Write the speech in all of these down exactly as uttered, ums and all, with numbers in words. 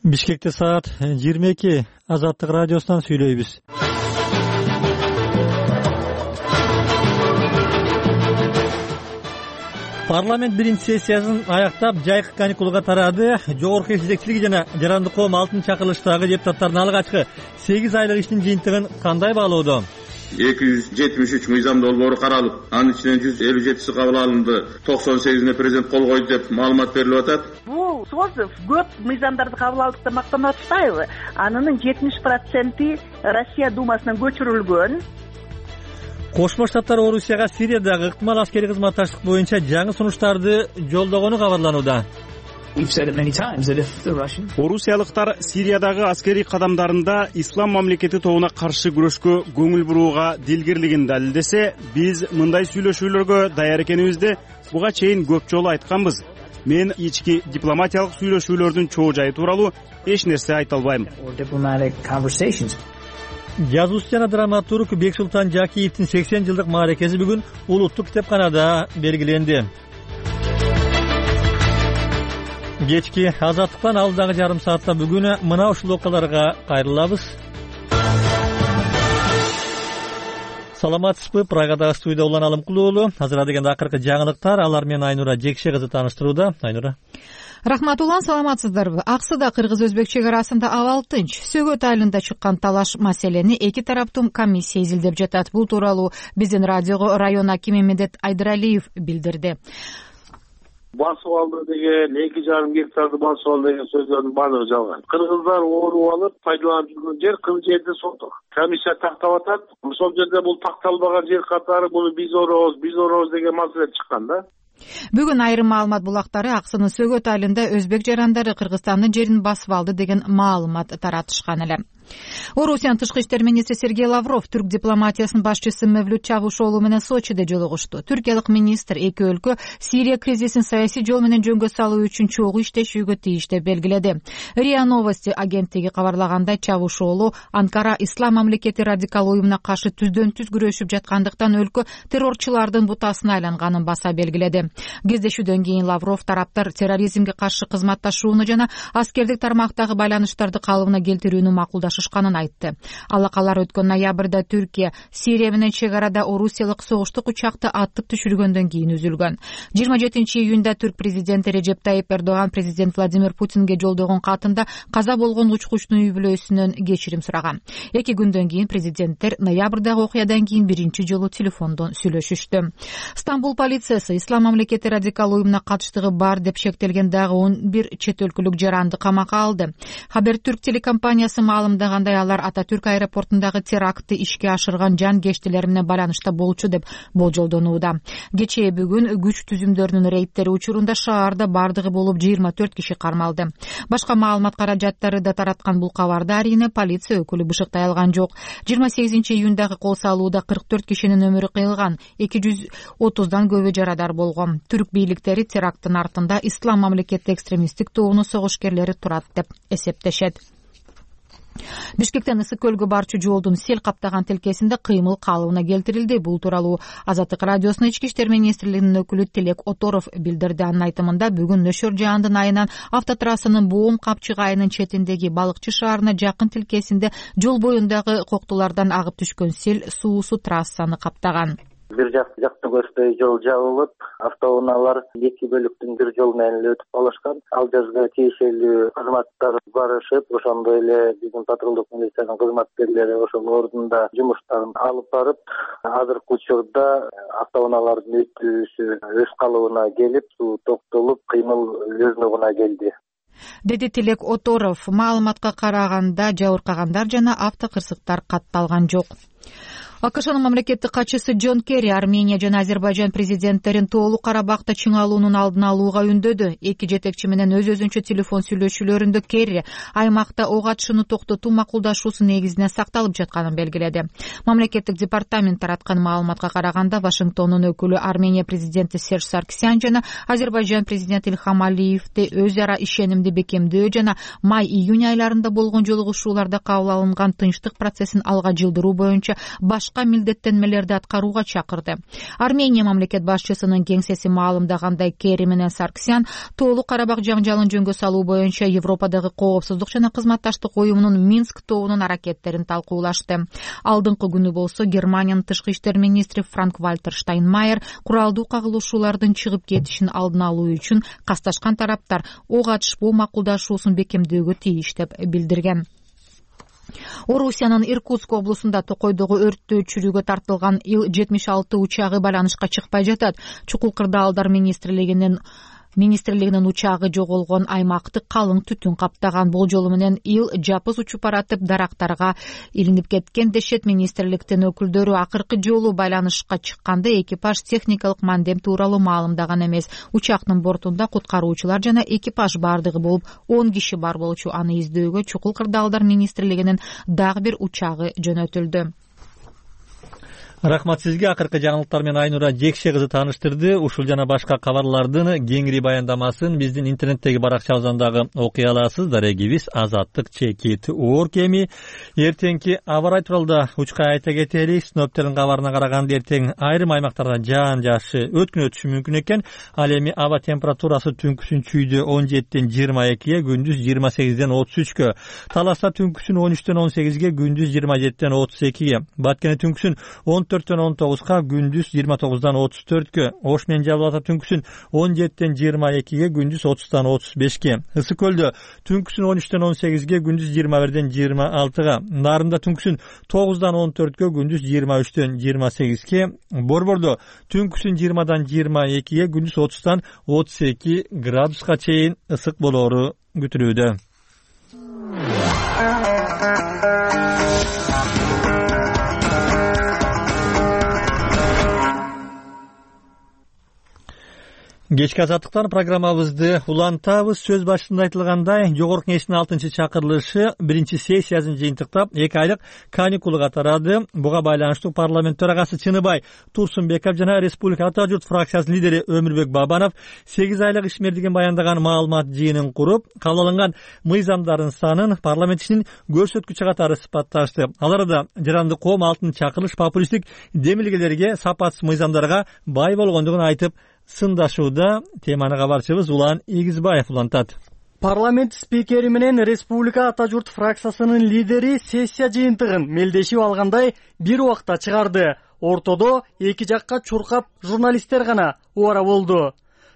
Бишкекте саат жыйырма эки. Азаттык радиосунан сүйлөйбүз. Парламент биринчи сессиясын аяктап жайкы каникулга тарады. Жогорку эл жетекчилиги жана Жарандык коом алтынчы чакырылыштагы депутаттардын алгачкы сегиз айлык иштин жыйынтыгын кандай баалоодо? эки жүз жетимиш үч мыйзам долбоору каралып, анын ичинен жүз элүү жетиси кабыл алынды, токсон сегизине президент кол койду деп маалымат берилип атат. Бул сөз көп мыйзамдарды кабыл алдык деп мактанып атпайбы? Анын жетимиш проценти Россия Думасынан көчүрүлгөн. Кошмо Штаттар Орусияга Сириядагы ыктымал аскерий кызматташтык боюнча жаңы сунуштарды жолдогону кабарланууда. Орусиялыктар Сириядагы аскерий кадамдарында Ислам мамлекети тобуна каршы күрөшкө көңүл бурууга дилгирлигин далилдесе, биз мындай сүйлөшүүлөргө даяр экенибизди буга чейин көп жолу айтканбыз. Мен ички дипломатиялык сүйлөшүүлөрдүн чоо жайы тууралуу эч нерсе айта албайм. Жазуучу жана драматург Бексултан Жакиевдин сексен жылдык мааракеси бүгүн улуттук китепканада белгиленди. Кечки Азаттыктан алдыдагы жарым саатта бүгүн мына ушул окуяларга кайрылабыз. Саламатсызбы? Прагадагы студияда Улан Алымкулуулу. Азыр дегенде акыркы жаңылыктар, алар менен Айнура Жекше кызы тааныштырууда. Айнура. Рахмат Улан, саламатсыздарбы? Аксыда кыргыз-өзбек чек арасында абал тынч. Сөгөт айылында чыккан талаш маселени эки тараптуу комиссия изилдеп жатат. Бул тууралуу биздин радиого район акими Медет Айдыралиев билдирди. Басып алды деген, эки жарым гектарды басып алды деген сөздөрдүн баардыгы жалган. Кыргыздар ооруп алып пайдаланып жүргөн жер кырк жерде соттук. Комиссия тактап атат. Ошол жерде бул такталбаган жер катары буну биз орообуз, биз орообуз деген маселе чыккан да. Бүгүн айрым маалымат булактары Аксынын Сөгөт айылында өзбек жарандары Кыргызстандын жерин басып алды деген маалымат таратышкан эле. Орусиянын тышкы иштер министри Сергей Лавров түрк дипломатиясынын башчысы Мевлют Чавушоглу менен Сочиде жолугушту. Түркиялык министр эки өлкө Сирия кризисин саясий жол менен жөнгө салуу үчүн чогуу иштешүүгө тийиш деп белгиледи. РИА Новости агенттиги кабарлагандай, Чавушоглу Анкара ислам мамлекети радикал уюмуна каршы түздөн түз күрөшүп жаткандыктан өлкө террорчулардын бутасына айланганын баса белгиледи. Кездешүүдөн кийин Лавров тараптар терроризмге каршы кызматташууну жана аскердик тармактагы байланыштарды калыбына келтирүүнү макулдашышканын айтты. Алакалар өткөн ноябрда Түркия Сирия менен чек арада орусиялык согуштук учакты аттып түшүргөндөн кийин үзүлгөн. жыйырма жетинчи июнда түрк президенти Режеп Тайип Эрдоган президент Владимир Путинге жолдогон катында каза болгон учкучтун үй бүлөсүнөн кечирим сураган. Эки күндөн кийин президенттер ноябрдагы окуядан кийин биринчи жолу телефондон сүйлөшүштү. Стамбул полициясы ислам мамлекети радикал уюмуна катыштыгы бар деп шектелген дагы он бир чет өлкөлүк жаранды камакка алды. Хабертүрк телекомпаниясы маалымдагандай, алар Ататүрк аэропортундагы терактты ишке ашырган жанкештилер менен байланышта болчу деп болжолдонууда. Кечээ бүгүн күч түзүмдөрүнүн рейдтери учурунда шаарда бардыгы болуп жыйырма төрт киши кармалды. Башка маалымат каражаттары да тараткан бул кабарда арине полиция өкүлү бышыктай алган жок. жыйырма сегизинчи июндагы кол салууда кырк төрт кишинин өмүрү кыйылган, эки жүз отуздан көбү жарадар болгон. Түрк бийликтери теракттын артында ислам мамлекети экстремисттик тобунун согушкерлери турат деп эсептешет. Бишкектен Ысык көлгө барчу жолдун сел каптаган тилкесинде кыймыл калыбына келтирилди. Бул тууралуу Азаттык радиосунун ички иштер министрлигинин өкүлү Тилек Оторов билдирди. Анын айтымында, бүгүн нөшөр жаандын айынан автотрассанын Боом Капчык айынын четиндеги Балыкчы шаарына жакын тилкесинде жол боюндагы коктулардан агып түшкөн сел суусу трассаны каптаган. Бир жак жакты көздөй жол жабылып, автоунаалар эки бөлүктүн бир жол менен эле өтүп калышкан. Ал жерге тиешелүү кызматтар барышып, ошондой эле биздин патрулдук милициянын кызматкерлери ошол ордунда жумуштарын алып барып, азыркы учурда автоунаалардын өтүүсү өз калыбына келип, суу токтолуп, кыймыл өз нугуна келди, деди Тилек Оторов. Маалыматка караганда, жабыркагандар жана автокырсыктар катталган жок. АКШнын мамлекеттик катчысы Джон Керри Армения жана Азербайжан президенттерин тоолуу Карабакта чыңалуунун алдын алууга үндөдү. Эки жетекчи менен өз-өзүнчө телефон сүйлөшүүлөрүндө Керри аймакта ок атышууну токтотуу макулдашуусу негизинде сакталып жатканын белгиледи. Мамлекеттик департамент тараткан маалыматка караганда, Вашингтондун өкүлү Армения президенти Серж Саркисян жана Азербайжан президенти Илхам Алиевди өз ара ишенимди бекемдөө жана май-июнь айларында болгон жолугушууларда кабыл алынган тынчтык процессин алга жылдыруу боюнча баш башка милдеттенмелерди аткарууга чакырды. Армения мамлекет башчысынын кеңсеси маалымдагандай, Керри менен Сарксян Тоолуу Карабак жаңжалын жөнгө салуу боюнча Европадагы коопсуздук жана кызматташтык уюмунун Минск тобунун аракеттерин талкуулашты. Алдыңкы күнү болсо Германиянын тышкы иштер министри Франк-Вальтер Штайнмайер куралдуу кагылышуулардын чыгып кетишин алдын алуу үчүн касташкан тараптар ок атышпоо макулдашуусун бекемдөөгө тийиш деп билдирген. Орусиянын Иркутск облусунда Токойдогу өрттөөчүлүгү тартылган Ил жетимиш алты учагы байланышка чыкпай жатат. Чукул кырдаалдар министрлигинин министрлигинин учагы жоголгон аймакты калың түтүн каптаган. Болжолу менен Ил жапыз учуп баратып дарактарга илинип кеткен дешет министрликтин өкүлдөрү. Акыркы жолу байланышка чыкканда экипаж техникалык мандем тууралуу маалымдаган эмес. Учактын бортунда куткаруучулар жана экипаж бардыгы болуп он киши бар болчу. Аны издөөгө Чукул кырдаалдар министрлигинин дагы бир учагы жөнөтүлдү. Рахмат сизге. Акыркы жаңылыктар менен Айнура Жекше кызы тааныштырды. Ушул жана башка кабарлардын кеңири баяндамасын биздин интернеттеги баракчабыздагы окуй аласыз. Дарегибиз азаттык чекит орг. Эми эртеңки аба ырайы тууралуу учкай айта кетели. Синоптиктердин кабарына караганда эртең айрым аймактарда жаан жаашы өткүн өтүшү мүмкүн экен. Ал эми аба температурасы түнкүсүн чүйдө он жетиден жыйырма экиге, күндүз жыйырма сегизден отуз үчкө. Таласта түнкүсүн он үчтөн он сегизге, күндүз жыйырма жетиден отуз экиге. Баткене түнкүсүн он төрттөн он тогузга, күндүз жыйырма тогуздан отуз төрткө. Ош менен Жалал Ата түнкүсүн он жетиден жыйырма экиге, күндүз отуздан отуз бешке. Ысык көлдө түнкүсүн он үчтөн он сегизге, күндүз жыйырма бирден жыйырма алтыга. Нарында түнкүсүн тогуздан он төрткө, күндүз жыйырма үчтөн жыйырма сегизге. Борбордо түнкүсүн жыйырмадан жыйырма экиге, күндүз отуздан отуз эки градуска чейин ысык болоору күтүлүүдө. Кечки азаттыктан программабызды улантабыз. Сөз башында айтылгандай, Жогорку Кеңештин алтынчы чакырылышы биринчи сессиясын жыйынтыктап эки айлык каникулга тарады. Буга байланыштуу парламент төрагасы Чыныбай Турсунбеков жана Республика Ата журт фракциясынын лидери Өмүрбек Бабанов сегиз айлык ишмердигин баяндаган маалымат жыйынын куруп, кабыл алынган мыйзамдардын санын парламент ишинин көрсөткүчү катары сыпатташты. Ал арада жаранды коом алтынчы чакырылыш популисттик демилгелерге, сапатсыз мыйзамдарга бай болгондугун айтып сындашууда. Теманы кабарчыбыз Улан Игизбаев улантат. Парламент спикери менен Республика Ата журт фракциясынын лидери сессия жыйынтыгын мелдешип алгандай бир убакта чыгарды. Ортодо эки жакка чуркап журналисттер гана убара болду.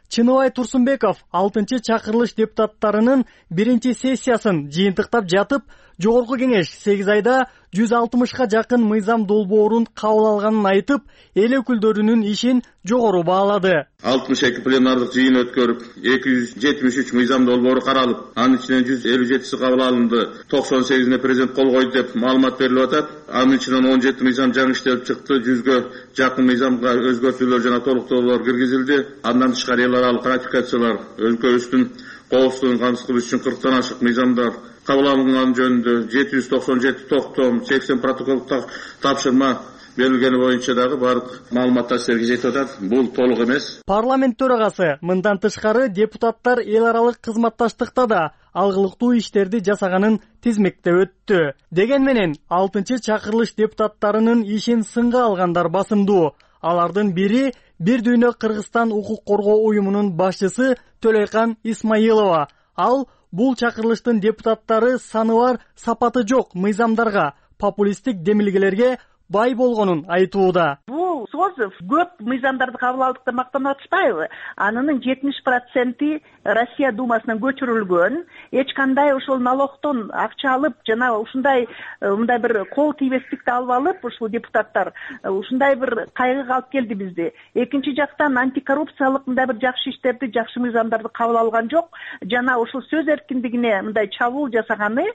Чыныбай Турсунбеков алтынчы чакырылыш депутаттарынын биринчи сессиясын жыйынтыктап жатып, Жогорку Кеңеш сегиз айда жүз алтымышка жакын мыйзам долбоорун кабыл алганын айтып, эл өкүлдөрүнүн ишин жогору баалады. алтымыш эки пленардык жыйын өткөрүп, эки жүз жетимиш үч мыйзам долбоору каралып, анын ичинен жүз элүү жетиси кабыл алынды, токсон сегизине президент кол койду деп маалымат берилип атат. Анын ичинен он жети мыйзам жаңы иштелип чыкты, жүзгө жакын мыйзамга өзгөртүүлөр жана толуктоолор киргизилди. Андан тышкары эл аралык ратификациялар, өлкөбүздүн коопсуздугун камсыздоо үчүн кырктан ашык мыйзамдар кабыл алынган жөнүндө жети жүз токсон жети токтом, сексен протоколдук тапшырма берилгени боюнча дагы баардык маалыматтар силерге жетип атат. Бул толук эмес. Парламент төрагасы мындан тышкары депутаттар эл аралык кызматташтыкта да алгылыктуу иштерди жасаганын тизмектеп өттү. Деген менен алтынчы чакырылыш депутаттарынын ишин сынга алгандар басымдуу. Алардын бири Бир дүйнө Кыргызстан укук коргоо уюмунун башчысы Төлөйкан Исмаилова. Ал бул чакырылыштын депутаттары саны бар, сапаты жок мыйзамдарга, популисттик демилгелерге бай болгонун айтууда. Бул созов көп мыйзамдарды кабыл алдык деп мактанып атышпайбы? Анын жетимиш проценти Россия Думасынан көчүрүлгөн. Эч кандай ошол налогтон акча алып жана ушундай мындай бир кол тийбестикти алып алып, ушул депутаттар ушундай бир кайгыга алып келди бизди. Экинчи жактан антикоррупциялык мындай бир жакшы иштерди, жакшы мыйзамдарды кабыл алган жок. Жана ушул сөз эркиндигине мындай чабуул жасаганы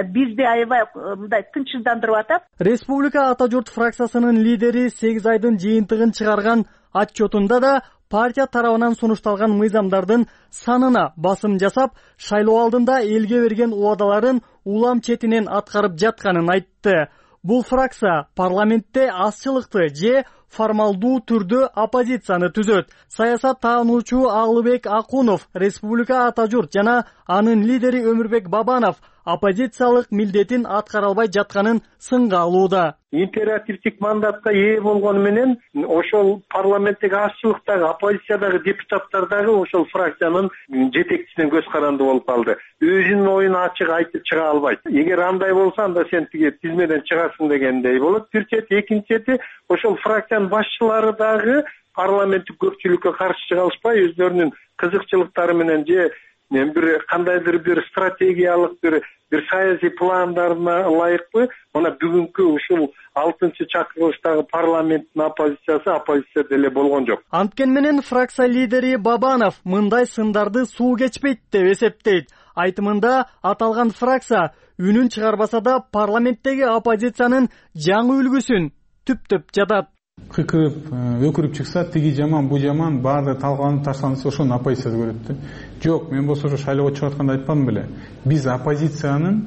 бизди аябай мындай тынчсыздандырып атат. Республика Ата журт фракциясынын лидери сегиз айдын жыйынтыгын чыгарган отчетунда да партия тарабынан сунушталган мыйзамдардын санына басым жасап, шайлоо алдында элге берген убадаларын улам четинен аткарып жатканын айтты. Бул фракция парламентте азчылыкты же формалдуу түрдө оппозицияны түзөт. Саясат таануучу Алыбек Акунов, Республика Ата журт жана анын лидери Өмүрбек Бабанов оппозициялык милдетин аткара албай жатканын сынга алууда. Императивдик мандатка ээ болгону менен ошол парламенттеги азчылыктагы оппозициядагы депутаттар дагы ошол фракциянын жетекчисине көз каранды болуп калды. Өзүнүн оюн ачык айтып чыга албайт. Эгер андай болсо анда сен тиги тизмеден чыгасың дегендей болот. Бир чети, экинчи чети ошол фракциянын башчылары дагы парламенттик көпчүлүккө каршы чыга алышпай өздөрүнүн кызыкчылыктары менен же бир кандайдыр бир стратегиялык бир бир саясий пландарына ылайыктуу мына бүгүнкү ушул алтынчы чакырылыштагы парламенттин оппозициясы оппозиция деле болгон жок. Анткени менен фракция лидери Бабанов мындай сындарды суу кечпейт деп эсептейт. Айтымында аталган фракция үнүн чыгарбаса да парламенттеги оппозициянын жаңы үлгүсүн түптөп жатат. Кыкырып, өкүрүп чыкса, тиги жаман, бу жаман, баарды талкаланып ташталса, ошону оппозиция көрөт да. Жок, мен болсо ошо шайлоого чыгып атканда айтпадым беле. Биз оппозициянын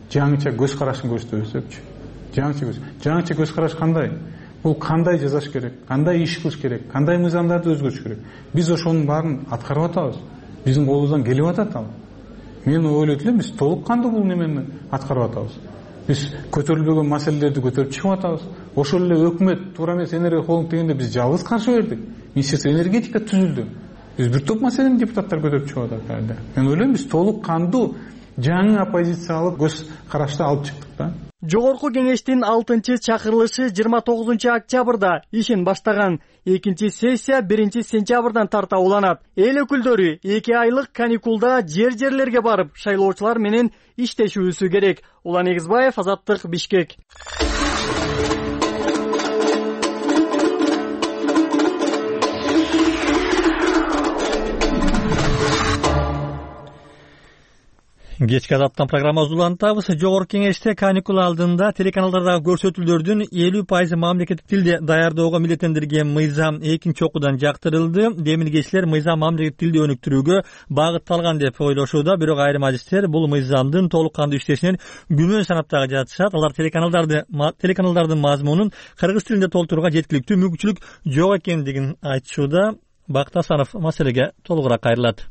жаңыча көз карашын көрсөтөбүз депчи. Жаңыча көз. Жаңыча көз караш кандай? Бул кандай жазаш керек? Кандай иш кылыш керек? Кандай мыйзамдарды өзгөртүш керек? Биз ошонун баарын аткарып атабыз. Биздин колубуздан келип атат ал. Мен ойлойт элем, биз толук кандуу бул немени аткарып атабыз. Биз көтөрүлбөгөн маселелерди көтөрүп чыгып атабыз. Ошол эле өкмөт туура эмес энергия холдинг дегенде биз жалгыз каршы бердик. Министерство энергетика түзүлдү. Биз бир топ маселени депутаттар көтөрүп чыгып атат. Мен ойлойм, биз толук кандуу жаңы оппозициялык көз карашты алып чыктык да. Жогорку кеңештин алтынчы чакырылышы жыйырма тогузунчу октябрда ишин баштаган. Экинчи сессия биринчи сентябрдан тарта уланат. Эл өкүлдөрү эки айлык каникулда жер-жерлерге барып, шайлоочулар менен иштешүүсү керек. Улан Эгизбаев, Азаттык, Бишкек. Кечки азаттан программабызды улантабыз. Жогорку кеңеште каникул алдында телеканалдардагы көрсөтүүлөрдүн элүү пайызы мамлекеттик тилде даярдоого милдеттендирген мыйзам экинчи окуудан жактырылды. Демилгечилер мыйзам мамлекеттик тилде өнүктүрүүгө багытталган деп ойлошууда, бирок айрым адистер бул мыйзамдын толук кандуу иштешинен күмөн санап дагы жатышат. Алар телеканалдарды телеканалдардын мазмунун кыргыз тилинде толтурууга жеткиликтүү мүмкүнчүлүк жок экендигин айтышууда. Бакыт Асанов маселеге толугураак кайрылат.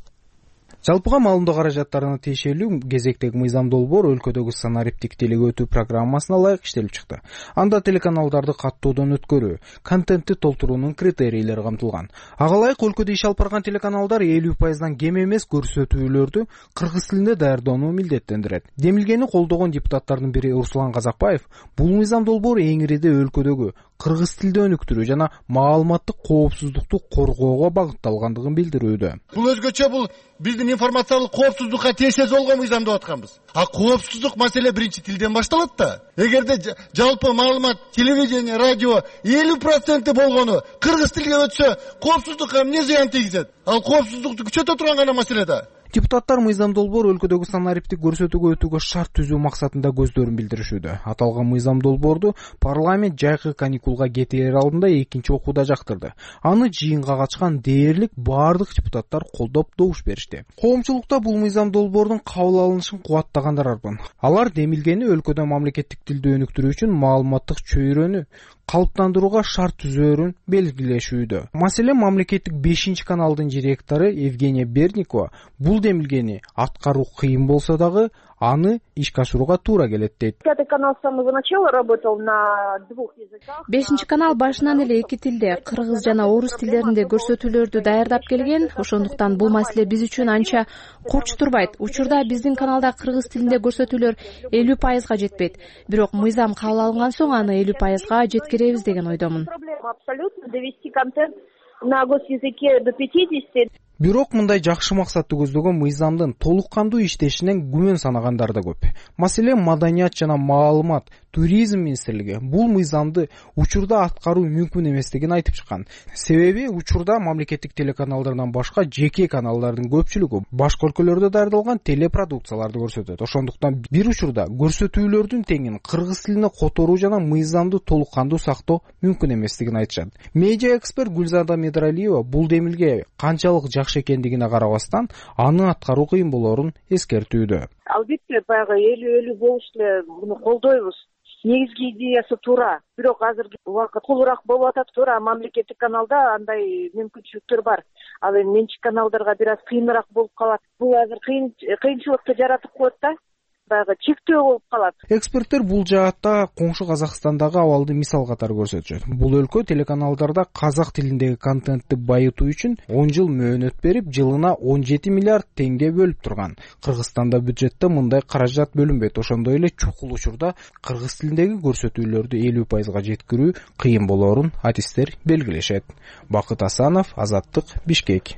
Жалпыга маалымдоо каражаттарына тиешелүү кезектеги мыйзам долбоор өлкөдөгү санариптик тилге өтүү программасына ылайык иштелип чыкты. Анда телеканалдарды каттоодон өткөрүү, контентти толтуруунун критерийлери камтылган. Ага ылайык өлкөдө иш алып барган телеканалдар элүү пайыздан кем эмес көрсөтүүлөрдү кыргыз тилинде даярдоону милдеттендирет. Демилгени колдогон депутаттардын бири Руслан Казакбаев бул мыйзам долбоор эң ириде өлкөдөгү кыргыз тилде өнүктүрүү жана маалыматтык коопсуздукту коргоого багытталгандыгын билдирүүдө. Бул өзгөчө бул биздин информациялык коопсуздукка тиешеси болгон мыйзам деп атканбыз. А коопсуздук маселе биринчи тилден башталат да. Эгерде жалпы маалымат, телевидение, радио элүү проценти болгону кыргыз тилге өтсө, коопсуздукка эмне зыян тийгизет? Ал коопсуздукту күчөтө турган гана маселе да. Депутаттар мыйзам долбоор өлкөдөгү санариптик көрсөтүүгө өтүүгө шарт түзүү максатында көздөрүн билдиришүүдө. Аталган мыйзам долбоорду парламент жайкы каникулга кетээр алдында экинчи окууда жактырды. Аны жыйынга катышкан дээрлик баардык депутаттар колдоп добуш беришти. Коомчулукта бул мыйзам долбоордун кабыл алынышын кубаттагандар арбын. Алар демилгени өлкөдө мамлекеттик тилди өнүктүрүү үчүн маалыматтык чөйрөнү калыптандырууга шарт түзөөрүн белгилешүүдө. Маселен, мамлекеттик бешинчи каналдын директору Евгения Берникова бул демилгени аткаруу кыйын болсо дагы аны ишке ашырууга туура келет дейт. Пятый канал с самого начала работал на двух языках. Бешинчи канал башынан эле эки тилде, кыргыз жана орус тилдеринде көрсөтүүлөрдү даярдап келген. Ошондуктан бул маселе биз үчүн анча курч турбайт. Учурда биздин каналда кыргыз тилинде көрсөтүүлөр элүү пайызга жетпейт. Бирок мыйзам кабыл алынган соң аны элүү пайызга жеткиребиз деген ойдомун. Абсолютно довести контент на госязыке до пятидесяти. Бирок мындай жакшы максатты көздөгөн мыйзамдын толук кандуу иштешинен күмөн санагандар да көп. Маселен, маданият жана маалымат, туризм министрлиги бул мыйзамды учурда аткаруу мүмкүн эместигин айтып чыккан. Себеби учурда мамлекеттик телеканалдардан башка жеке каналдардын көпчүлүгү башка өлкөлөрдө даярдалган телепродукцияларды көрсөтөт. Ошондуктан бир учурда көрсөтүүлөрдүн теңин кыргыз тилине которуу жана мыйзамды толук кандуу сактоо мүмкүн эместигин айтышат. Медиа эксперт Гүлзада Медралиева бул демилге канчалык жакшы экендигине карабастан аны аткаруу кыйын болоорун эскертүүдө. Албетте, баягы элүү элүү болуш эле муну колдойбуз. Негизги идеясы туура. Бирок азыркы убакыт кулураак болуп атат туура. Мамлекеттик каналда андай мүмкүнчүлүктөр бар. Ал эми менчик каналдарга бир аз кыйыныраак болуп калат. Бул азыр кыйын кыйынчылыкты жаратып коет да. баягы чектөө болуп калат. Эксперттер бул жаатта коңшу Казакстандагы абалды мисал катары көрсөтүшөт. Бул өлкө телеканалдарда казак тилиндеги контентти байытуу үчүн он жыл мөөнөт берип, жылына он жети миллиард теңге бөлүп турган. Кыргызстанда бюджетте мындай каражат бөлүнбөйт. Ошондой эле чукул учурда кыргыз тилиндеги көрсөтүүлөрдү элүү пайызга жеткирүү кыйын болоорун адистер белгилешет. Бакыт Асанов, Азаттык, Бишкек.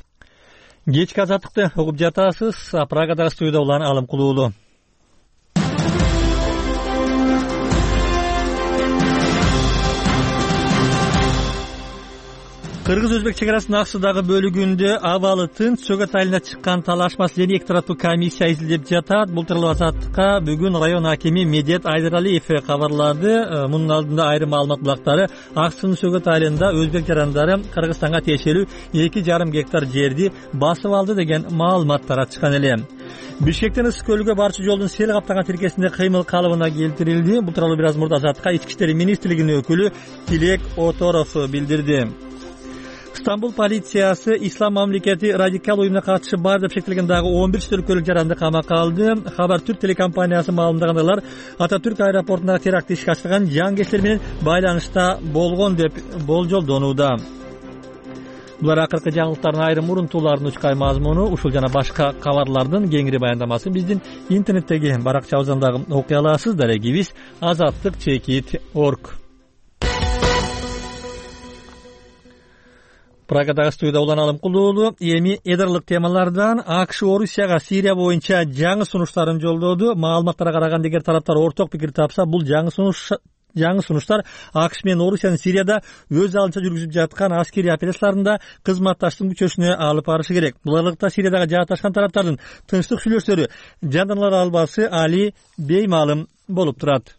Кечки Азаттыкты угуп жатасыз. Прагадагы студияда улан Алым Кулуулу. Кыргыз-Өзбек чегарасынын аксыдагы бөлүгүндө абалы тынч Сөгөт айылына чыккан талаш маселени эки тараптуу комиссия изилдеп жатат. Бул тууралуу Азаттыкка бүгүн район акими Медет Айдаралиев кабарлады. Мунун алдында айрым маалымат булактары аксынын Сөгөт айылында өзбек жарандары Кыргызстанга тиешелүү эки жарым гектар жерди басып алды деген маалымат таратышкан эле. Бишкектен Ысык көлүгө барчу жолдун сел каптаган тилкесинде кыймыл калыбына келтирилди. Бул тууралуу бир аз мурда Азаттыкка Ички иштер министрлигинин өкүлү Тилек Оторов билдирди. Стамбул полициясы Ислам мамлекети радикал уюмуна катышы бар деп шектелген дагы он бир төрткөлүк жаранды камакка алды. Хабар Түрк телекомпаниясы маалымдагандай Ататүрк аэропортундагы терактти ишке ашырган жангерчилер менен байланышта болгон деп болжолдонууда. Булар акыркы жаңылыктардын айрым урунтууларынын учкай мазмуну. Ушул жана башка кабарлардын кеңири баяндамасын биздин интернеттеги баракчабыздан окуй аласыз. Дарегибиз азаттык чекит точка орг. Прагадагы студияда улан Алым Кулуулу. Эми эдарлык темалардан АКШ Орусияга Сирия боюнча жаңы сунуштарын жолдоду. Маалыматтарга караганда, эгер тараптар орток пикир тапса, бул жаңы сунуш жаңы сунуштар АКШ менен Орусиянын Сирияда өз алдынча жүргүзүп жаткан аскерий операцияларында кызматташтын күчөшүнө алып барышы керек. Буларлыкта Сириядагы жааташкан тараптардын тынчтык сүйлөштөрү жандана албасы али беймаалым болуп турат.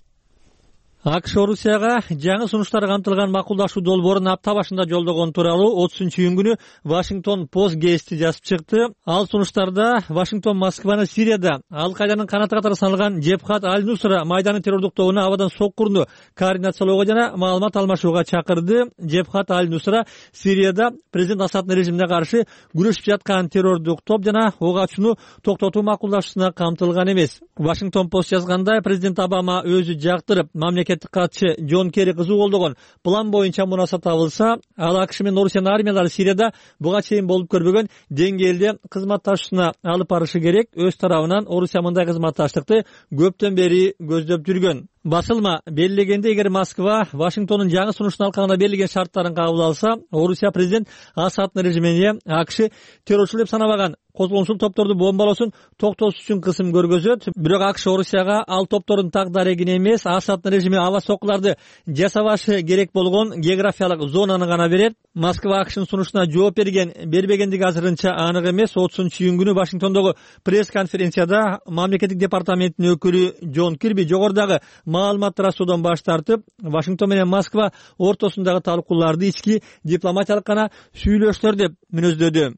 АКШ Орусияга жаңы сунуштар камтылган макулдашуу долбоорун апта башында жолдогон тууралуу отузунчу июнь күнү Вашингтон Пост гезити жазып чыкты. Ал сунуштарда Вашингтон Москваны Сирияда Ал-Кайданын канаты катары саналган Джебхат Аль-Нусра майданы террордук тобуна абадан соккурну координациялоого жана маалымат алмашууга чакырды. Джебхат Аль-Нусра Сирияда президент Асаддын режимине каршы күрөшүп жаткан террордук топ жана ок ачууну токтотуу макулдашуусуна камтылган эмес. Вашингтон Пост жазгандай, президент Обама өзү жактырып, мамлекет катчы Джон Керри кызуу колдогон план боюнча мунаса табылса, ал АКШ менен Орусиянын армиялары Сирияда буга чейин болуп көрбөгөн деңгээлде кызматташуусуна алып барышы керек. Өз тарабынан Орусия мындай кызматташтыкты көптөн бери көздөп жүргөн. Басылма белгилегенде, эгер Москва Вашингтондун жаңы сунуштун алкагында берилген шарттарын кабыл алса, Орусия президент Асаддын режимине АКШ террорчу деп санабаган козголоңчул топторду бомбалоосун токтотуш үчүн кысым көргөзөт. Бирок АКШ Орусияга ал топтордун так дарегин эмес, Асаддын режими аба соккуларды жасабашы керек болгон географиялык зонаны гана берет. Москва АКШнын сунушуна жооп берген бербегендиги азырынча анык эмес. отузунчу июнь күнү Вашингтондогу пресс-конференцияда мамлекеттик департаменттин өкүлү Джон Кирби жогорудагы маалымат таратуудан баш тартып, Вашингтон менен Москва ортосундагы талкууларды ички дипломатиялык гана сүйлөштөр деп мүнөздөдү.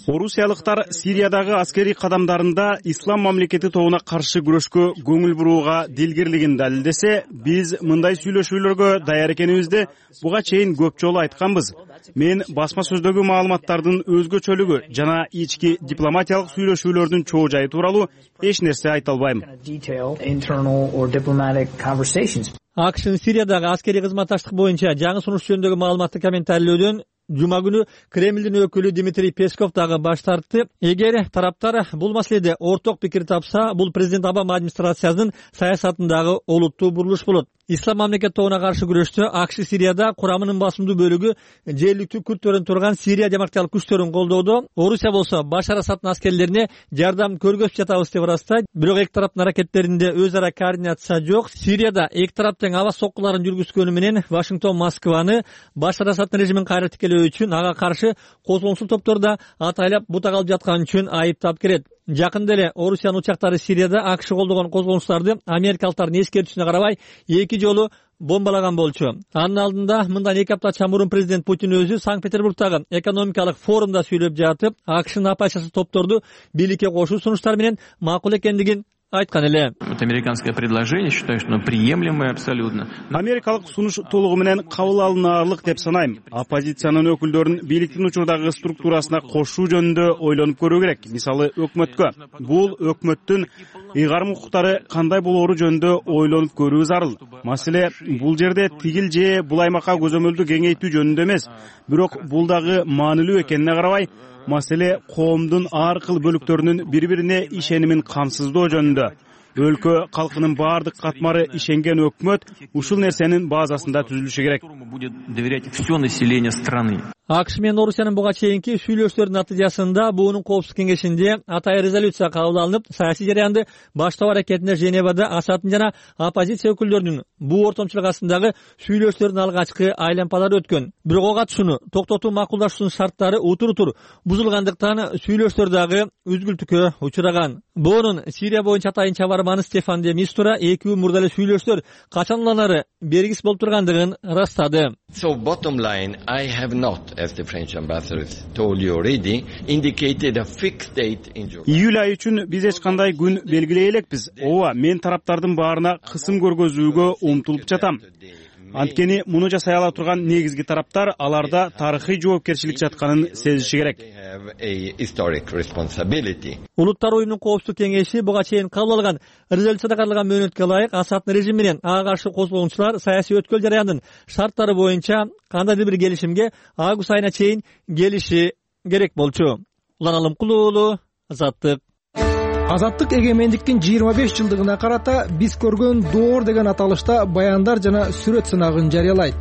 Орусиялыктар Сириядагы аскерий кадамдарында Ислам мамлекети тобуна каршы күрөшкө көңүл бурууга дилгирлигин далилдесе, биз мындай сүйлөшүүлөргө даяр экенибизди буга чейин көп жолу айтканбыз. Мен басма сөздөгү маалыматтардын өзгөчөлүгү жана ички дипломатиялык сүйлөшүүлөрдүн чоо жайы тууралуу эч нерсе айта албайм. АКШнын Сириядагы аскерий кызматташтык боюнча жаңы сунуш жөнүндөгү маалыматты комментарийлөөдөн жума күнү Кремлдин өкүлү Дмитрий Песков дагы баш тартты. Эгер тараптар бул маселеде орток пикир тапса, бул президент Обама администрациясынын саясатындагы олуттуу бурулуш болот. Ислам мамлекет тобуна каршы күрөштө АКШ Сирияда курамынын басымдуу бөлүгү жергиликтүү күрттөрүн турган Сирия демократиялык күчтөрүн колдоодо. Орусия болсо Башар Асаддын аскерлерине жардам көргөзүп жатабыз деп ырастайт. Бирок эки тараптын аракеттеринде өз ара координация жок. Сирияда эки тарап тең аба соккуларын жүргүзгөнү менен Вашингтон Москваны Башар Асаддын режимин кайра тикелөө үчүн ага каршы козголоңчул топторду атайлап бутак алып жаткан үчүн айыптап келет. Жакында эле Орусиянын учактары Сирияда АКШ колдогон козголоңчуларды америкалыктардын эскертүүсүнө карабай эки жолу бомбалаган болчу. Анын алдында мындан эки апта чамурун президент Путин өзү Санкт-Петербургдагы экономикалык форумда сүйлөп жатып, АКШнын апайчасы топторду бийликке кошуу сунуштары менен макул экендигин айткан эле. Американское предложение считаю, что приемлемое абсолютно. Америкалык сунуш толугу менен кабыл алынаарлык деп санайм. Оппозициянын өкүлдөрүн бийликтин учурдагы структурасына кошуу жөнүндө ойлонуп көрүү керек. Мисалы өкмөткө. Бул өкмөттүн ыйгарым укуктары кандай болоору жөнүндө ойлонуп көрүү зарыл. Маселе бул жерде тигил же бул аймакка көзөмөлдү кеңейтүү жөнүндө эмес, бирок бул дагы маанилүү экенине карабай, маселе коомдун ар кыл бөлүктөрүнүн бири-бирине ишенимин камсыздоо жөнүндө. Өлкө калкынын баардык катмары ишенген өкмөт ушул нерсенин базасында түзүлүшү керек. Будет доверять все население страны. АКШ менен Орусиянын буга чейинки сүйлөшүүлөрдүн натыйжасында буунун коопсуздук кеңешинде атайын резолюция кабыл алынып, саясий жараянды баштоо аракетинде Женевада Асаддын жана оппозиция өкүлдөрүнүн буу ортомчулук астындагы сүйлөшүүлөрдүн алгачкы айлампалары өткөн. Бирок ого катышууну токтотуу макулдашуунун шарттары утур-утур бузулгандыктан сүйлөшүүлөр дагы үзгүлтүккө учураган. Буунун Сирия боюнча атайын чабарманы Стефан де Мистура эки күн мурда эле сүйлөшүүлөр качан уланары белгисиз болуп тургандыгын ырастады. So bottom line, I have not, as the French ambassador told you already, indicated a fixed date in July. Июль айы үчүн биз эч кандай күн белгилей элекпиз. Ооба, мен тараптардын баарына кысым көргөзүүгө умтулуп жатам. Анткени муну жасай ала турган негизги тараптар аларда тарыхый жоопкерчилик жатканын сезиши керек. Улуттар уюмунун коопсуздук кеңеши буга чейин кабыл алган резолюцияда каралган мөөнөткө ылайык Асаддын режими менен ага каршы козголгунчулар саясий өткөл жараянынын шарттары боюнча кандайдыр бир келишимге август айына чейин келиши керек болчу. Улан Алымкулуу, Азаттык. Азаттык эгемендиктин жыйырма беш жылдыгына карата биз көргөн доор деген аталышта баяндар жана сүрөт сынагын жарыялайт.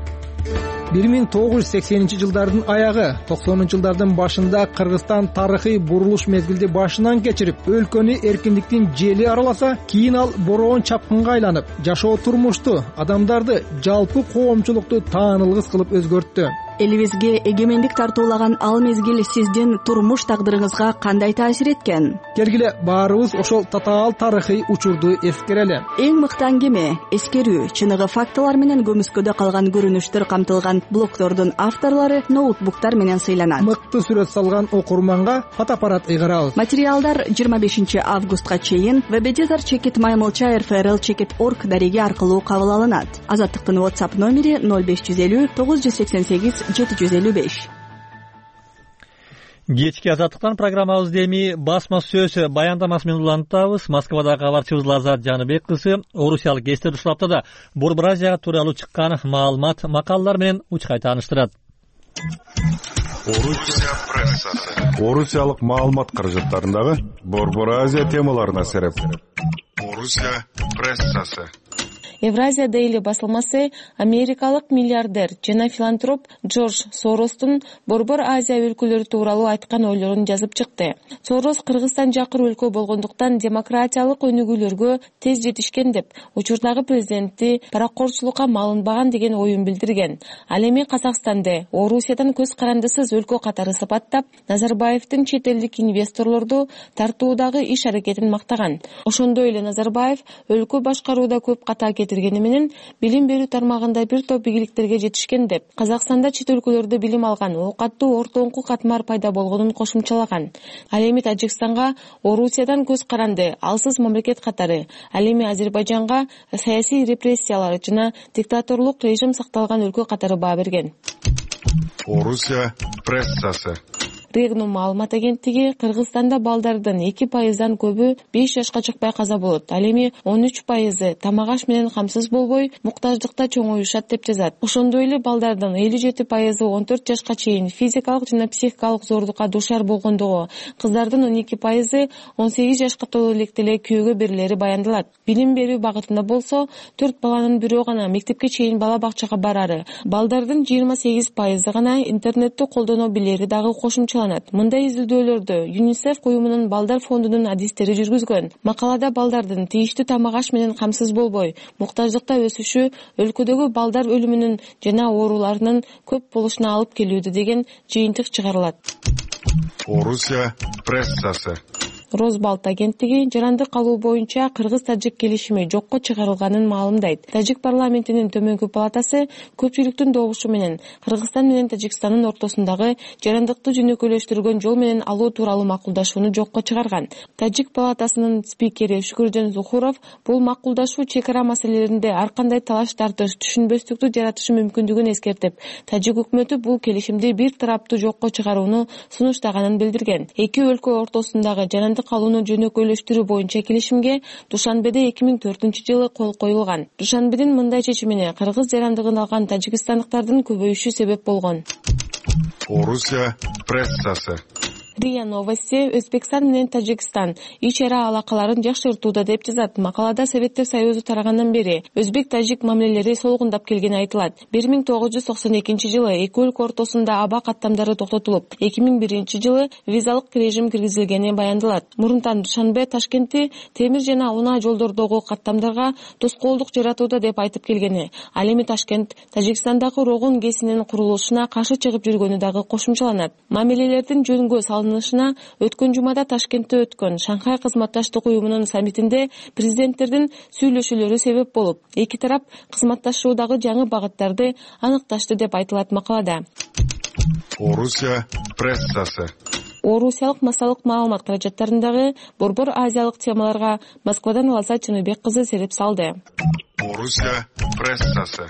бир миң тогуз жүз сексенинчи жылдардын аягы, токсонунчу жылдардын башында Кыргызстан тарыхый бурулуш мезгилди башынан кечирип, өлкөнү эркиндиктин жели араласа, кийин ал бороон чапкынга айланып, жашоо турмушту, адамдарды, жалпы коомчулукту таанылгыс кылып өзгөрттү. Элибизге эгемендик тартуулаган ал мезгил сиздин турмуш тагдырыңызга кандай таасир эткен? Келгиле баарыбыз ошол татаал тарыхый учурду эскерели. Эң мыкты аңгеме, эскерүү, чыныгы фактылар менен көмүскөдө калган көрүнүштөр камтылган блогдордун авторлору ноутбуктар менен сыйланат. Мыкты сүрөт салган окурманга фотоаппарат ыйгарабыз. Материалдар жыйырма бешинчи августка чейин веб-эдитор чекит маймылча эр эф эр эл чекит точка орг дареги аркылуу кабыл алынат. Азаттыктын WhatsApp номери ноль беш жүз элүү тогуз жүз сексен сегиз жети жүз элүү беш. Кечки Азаттыктан программабызды эми басма сөз баяндамасы менен улантабыз. Москвадагы кабарчыбыз Лазат Жаныбек кызы орусиялык Эстер ушул аптада Борбор Азия тууралуу чыккан маалымат, макалалар менен учкай тааныштырат. Орусия прессасы. Орусиялык маалымат каражаттарындагы Борбор Азия темаларына сереп. Орусия прессасы. Евразия Дейли басылмасы америкалык миллиардер жана филантроп Джордж Соростун Борбор Азия өлкөлөрү тууралуу айткан ойлорун жазып чыкты. Сорос Кыргызстан жакыр өлкө болгондуктан демократиялык өнүгүүлөргө тез жетишкен деп, учурдагы президенти паракорчулукка малынбаган деген оюн билдирген. Ал эми Казакстанды Орусиядан көз карандысыз өлкө катары сыпаттап, Назарбаевдин чет элдик инвесторлорду тартуудагы иш аракетин мактаган. Ошондой эле Назарбаев өлкө башкарууда көп ката кетиргени менен билим берүү тармагында бир топ ийгиликтерге жетишкен деп, Казакстанда чет өлкөлөрдө билим алган, оокаттуу ортоңку катмар пайда болгонун кошумчалаган. Ал эми Тажикстанга Орусиядан көз каранды, алсыз мамлекет катары, ал эми Азербайжанга саясий репрессиялар жана диктаторлук режим сакталган өлкө катары баа берген. Орусия прессасы. Регнум маалымат агенттиги Кыргызстанда балдардын эки пайыздан көбү беш жашка чыкпай каза болот. Ал эми он үч пайызы тамак аш менен камсыз болбой, муктаждыкта чоңоюшат деп жазат. Ошондой эле балдардын элүү жети пайызы он төрт жашка чейин физикалык жана психикалык зордукка дуушар болгондугу, кыздардын он эки пайызы он сегиз жашка толо электе эле күйөөгө берилери баяндалат. Билим берүү багытында болсо, төрт баланын бирөө гана мектепке чейин бала бакчага барары, балдардын жыйырма сегиз пайызы гана интернетти колдоно билери дагы кошумча. Мындай изилдөөлөрдү ЮНИСЕФ уюмунун балдар фондунун адистери жүргүзгөн. Макалада балдардын тийиштүү тамак аш менен камсыз болбой, муктаждыкта өсүшү өлкөдөгү балдар өлүмүнүн жана ооруларынын көп болушуна алып келүүдө деген жыйынтык чыгарылат. Орусия прессасы. Розбалт агенттиги жарандык калуу боюнча кыргыз-тажик келишими жокко чыгарылганын маалымдайт. Тажик парламентинин төмөнкү палатасы көпчүлүктүн добушу менен Кыргызстан менен Тажикстандын ортосундагы жарандыкты жөнөкөйлөштүргөн жол менен алуу тууралуу макулдашууну жокко чыгарган. Тажик палатасынын спикери Шүкүржөн Зухуров бул макулдашуу чек чек ара маселелеринде ар кандай талаш тартыш, түшүнбөстүктү жаратышы мүмкүндүгүн эскертип, тажик өкмөтү бул келишимди бир тараптуу жокко чыгарууну сунуштаганын билдирген. Эки өлкө ортосундагы жарандык калууну жөнөкөйлөштүрүү боюнча келишимге Душанбеде эки миң төртүнчү жылы кол коюлган. Душанбедин мындай чечимине кыргыз жарандыгын алган тажикстандыктардын көбөйүшү себеп болгон. Орусия прессасы. РИА Новости Өзбекстан менен Тажикстан ич ара алакаларын жакшыртууда деп жазат. Макалада Советтер Союзу тарагандан бери өзбек-тажик мамилелери солгундап келгени айтылат. бир миң тогуз жүз токсон экинчи жылы эки өлкө ортосунда аба каттамдары токтотулуп, эки миң биринчи жылы визалык режим киргизилгени баяндалат. Мурунтан Душанбе Ташкентти темир жана унаа жолдордогу каттамдарга тоскоолдук жаратууда деп айтып келгени. Ал эми Ташкент Тажикстандагы Рогун ГЭСинин курулушуна каршы чыгып жүргөнү дагы кошумчаланат. Мамилелердин жөнгө салынышына өткөн жумада Ташкентте өткөн Шанхай кызматташтык уюмунун саммитинде президенттердин сүйлөшүүлөрү себеп болуп, эки тарап кызматташуудагы жаңы багыттарды аныкташты деп айтылат макалада. Орусия прессасы. Орусиялык массалык маалымат каражаттарындагы борбор азиялык темаларга Москвадан Аласа Чыныбек кызы сереп салды. Орусия прессасы.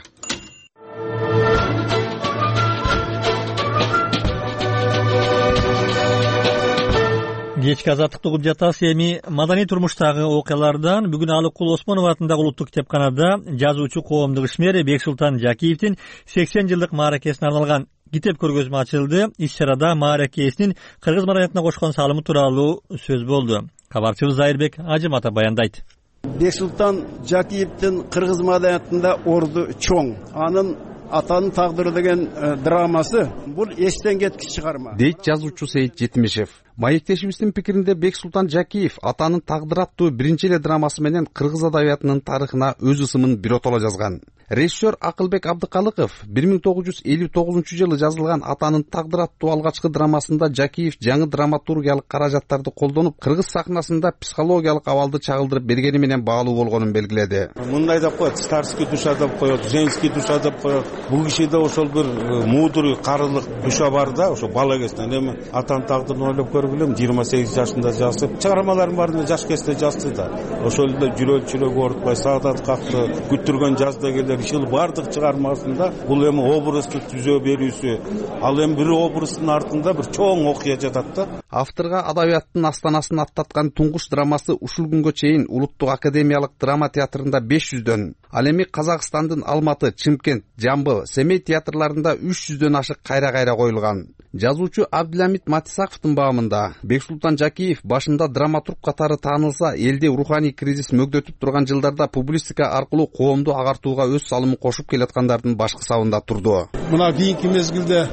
Кечки азаттыкты угуп жатасыз. Эми маданий турмуштагы окуялардан бүгүн Алыкул Осмонов атындагы улуттук китепканада жазуучу коомдук ишмер Бексултан Жакиевдин сексен жылдык мааракесине арналган китеп көргөзмө ачылды. Иш-чарада мааракесинин кыргыз маданиятына кошкон салымы тууралуу сөз болду. Кабарчыбыз Зайырбек Ажымата баяндайт. Бексултан Жакиевдин кыргыз маданиятында орду чоң. Анын Атанын тагдыры деген драмасы бул эстен кеткич чыгарма. Дейт жазуучу Сейит Жетимишев. Маектешибиздин пикиринде Бексултан Жакиев Атанын тагдыры аттуу биринчи эле драмасы менен кыргыз адабиятынын тарыхына өз ысымын биротоло жазган. Режиссер Акылбек Абдыкалыков бир миң тогуз жүз элүү тогузунчу жылы жазылган Атанын тагдыры аттуу алгачкы драмасында Жакиев жаңы драматургиялык каражаттарды колдонуп, кыргыз сахнасында психологиялык абалды чагылдырып бергени менен баалуу болгонун белгиледи. Мындай деп коет, старский душа деп коет, женский душа деп коет. Бул кишиде ошол бир мудрый, карылык душа бар да, ошо бала кезинен. Эми Атанын тагдырын ойлоп көргүлөм, жыйырма сегиз жашында жазып, чыгармаларын баарын жаш кезде жазды да. Ошол эле жүрөк чүрөк оорутпай, Саадат какты, күттүргөн жаз дегендер ишил бардык чыгармасында бул эми образды түзө берүүсү. Ал эми бир образдын артында бир чоң окуя жатат да. Авторга адабияттын астанасын аттаткан туңгуч драмасы ушул күнгө чейин Улуттук академиялык драма театрында беш жүздөн, ал эми Казакстандын Алматы, Чымкент, Жамбыл, Семей театрларында үч жүздөн ашык кайра-кайра коюлган. Жазуучу Абдиламит Матисаковдун баамында Бексултан Жакиев башында драматург катары таанылса, элде руханий кризис мөгдөтүп турган жылдарда публистика аркылуу коомду агартууга өз салымын кошуп келаткандардын башкы сабында турду. Мына кийинки мезгилде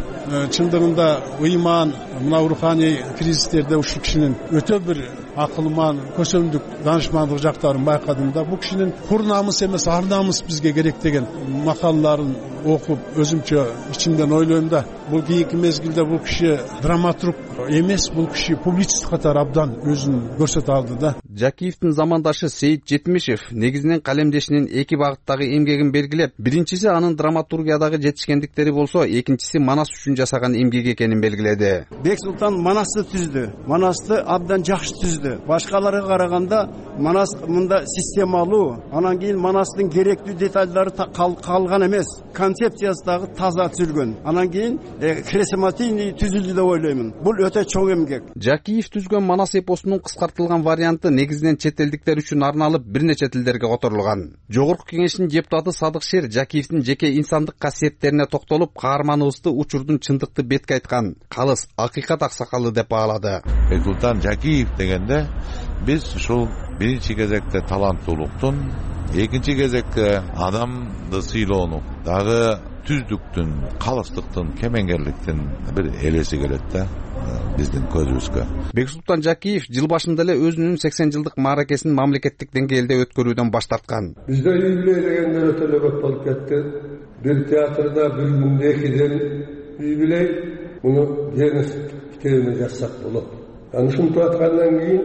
чындыгында ыйман, мына руханий кризистерде ушул кишинин өтө бир акылман, көсөмдүк, данышмандык жактарын байкадым да. Бул кишинин кур намыс эмес, ар намыс бизге керек деген макалаларын окуп, өзүмчө ичимден ойлойм да. Бул кийинки мезгилде бул киши драматург эмес, бул киши публицист катары абдан өзүн көрсөтө алды да. Жакиевдин замандашы Сейит Жетимишев негизинен калемдешинин эки багыттагы эмгегин белгилеп, биринчиси анын драматургиядагы жетишкендиктери болсо, экинчиси Манас үчүн жасаган эмгеги экенин белгиледи. Бексултан Манасты түздү. Манасты абдан жакшы түздү. Башкаларга караганда Манас мында системалуу, анан кийин Манастын керектүү детальдары калган эмес, концепциясы дагы таза түзүлгөн. Анан кийин хрестоматийный түзүлдү деп ойлоймун. Бул өтө чоң эмгек. Жакиев түзгөн Манас эпосунун кыскартылган варианты негизинен чет элдиктер үчүн арналып, бир нече тилдерге которулган. Жогорку кеңештин депутаты Садык Шер Жакиевдин жеке инсандык касиеттерине токтолуп, каарманыбызды учурдун чындыкты бетке айткан калыс акыйкат аксакалы деп баалады. Бексултан Жакиев дегенде биз ушул биринчи кезекте таланттуулуктун, экинчи кезекте адамды сыйлоонун, дагы түздүктүн, калыстыктын, кемеңгерликтин бир элеси келет да биздин көзүбүзгө. Бексултан Жакиев жыл башында эле өзүнүн сексен жылдык мааракесин мамлекеттик деңгээлде өткөрүүдөн баш тарткан. Бизде юбилей дегендер өтө эле көп болуп кетти. Бир театрда бир күндө экиден юбилей, муну Гернес китебине жазсак болот. Аны ушинтип аткандан кийин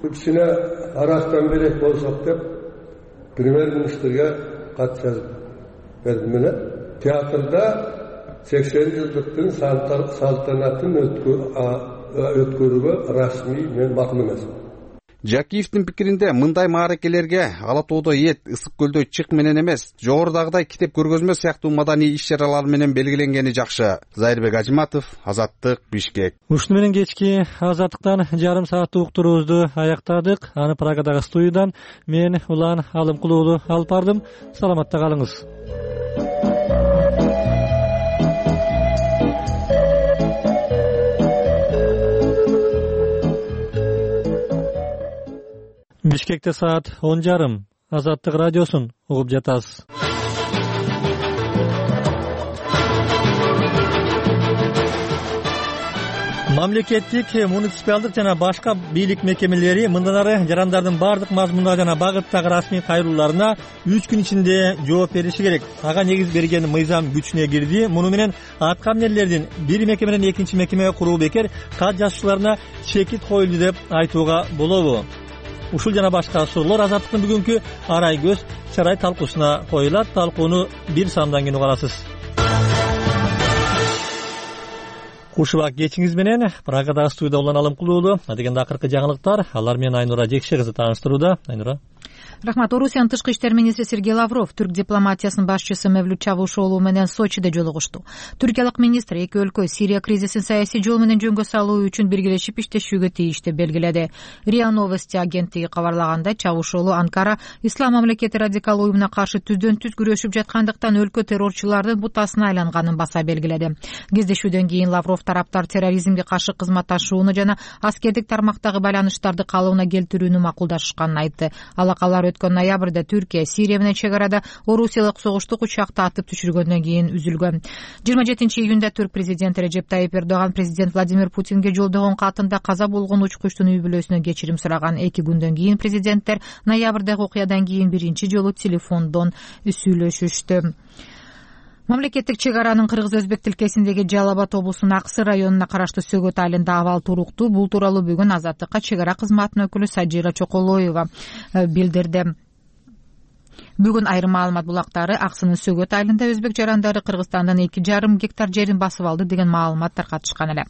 кичине арактан берек болсок деп премьер-министрге кат жазып бердим эле. Театрда сексен жылдыктын салтанатын өткөрүүгө расмий мен макул эмесмин. Жакиевдин пикиринде мындай мааракелерге Ала тоодо эт, Ысык көлдө чык менен эмес, жогорудагыдай китеп көргөзмө сыяктуу маданий иш-чаралар менен белгиленгени жакшы. Зайырбек Ажиматов, Азаттык, Бишкек. Ушуну менен кечки Азаттыктан жарым сааттык уктуруубузду аяктадык. Аны Прагадагы студиядан мен Улан Алымкулуу уулу алып бардым. Саламатта калыңыз. Бишкекте саат он жарым. Азаттык радиосун угуп жатасыз. Мамлекеттик, муниципалдык жана башка бийлик мекемелери мындан ары жарандардын бардык мазмундагы жана багыттагы расмий кайрылууларына үч күн ичинде жооп бериши керек. Ага негиз берген мыйзам күчүнө кирди. Муну менен аткаминерлердин бир мекеменен экинчи мекемеге куруу бекер, кат жазуучуларына чекит коюлду деп айтууга болобу? Ушул жана башка суроолор Азаттыктын бүгүнкү арай көз чарай талкуусуна коюлат. Талкууну бир сандан кийин угарасыз. Кушубак кечиңиз менен Прагадагы студияда Улан Алымкулуу. Адегенде акыркы жаңылыктар, алар менен Айнура Жекше кызы тааныштырууда. Айнура. Рахмат. Орусиянын тышкы иштер министри Сергей Лавров түрк дипломатиясынын башчысы Мевлют Чавушоğlu менен Сочиде жолугушту. Түркиялык министр эки өлкө Сирия кризисин саясий жол менен жөнгө салуу үчүн биргелешип иштешүүгө тийиштүү белгиледи. РИА Новости агенттиги кабарлаганда, Чавушоğlu Анкара Ислам мамлекети радикал уюмуна каршы түздөн түз күрөшүп жаткандыктан өлкө террорчулардын бутасына айланганын баса белгиледи. Кездешүүдөн кийин Лавров тараптар терроризмге каршы кызматташууну жана аскердик тармактагы байланыштарды калыбына келтирүүнү макулдашканын айтты. Алакалар өткөн ноябрда Түркия Сирия менен чек арада орусиялык согуштук учакты атып түшүргөндөн кийин үзүлгөн. жыйырма жетинчи июнда Түрк президенти Режеп Тайип Эрдоган президент Владимир Путинге жолдогон катында каза болгон учкучтун үй бүлөсүнө кечирим сураган. Эки күндөн кийин президенттер ноябрдагы окуядан кийин биринчи жолу телефондон сүйлөшүштү. Мамлекеттик чек аранын кыргыз-өзбек тилкесиндеги Жалал Абад облусунун Аксы районуна караштуу Сөгөт айылында абал туруктуу. Бул тууралуу бүгүн Азаттыкка чек ара кызматынын өкүлү Сажира Чоколоева билдирди. Бүгүн айрым маалымат булактары Аксынын Сөгөт айылында өзбек жарандары Кыргызстандан эки жарым гектар жерин басып алды деген маалымат таркатышкан эле.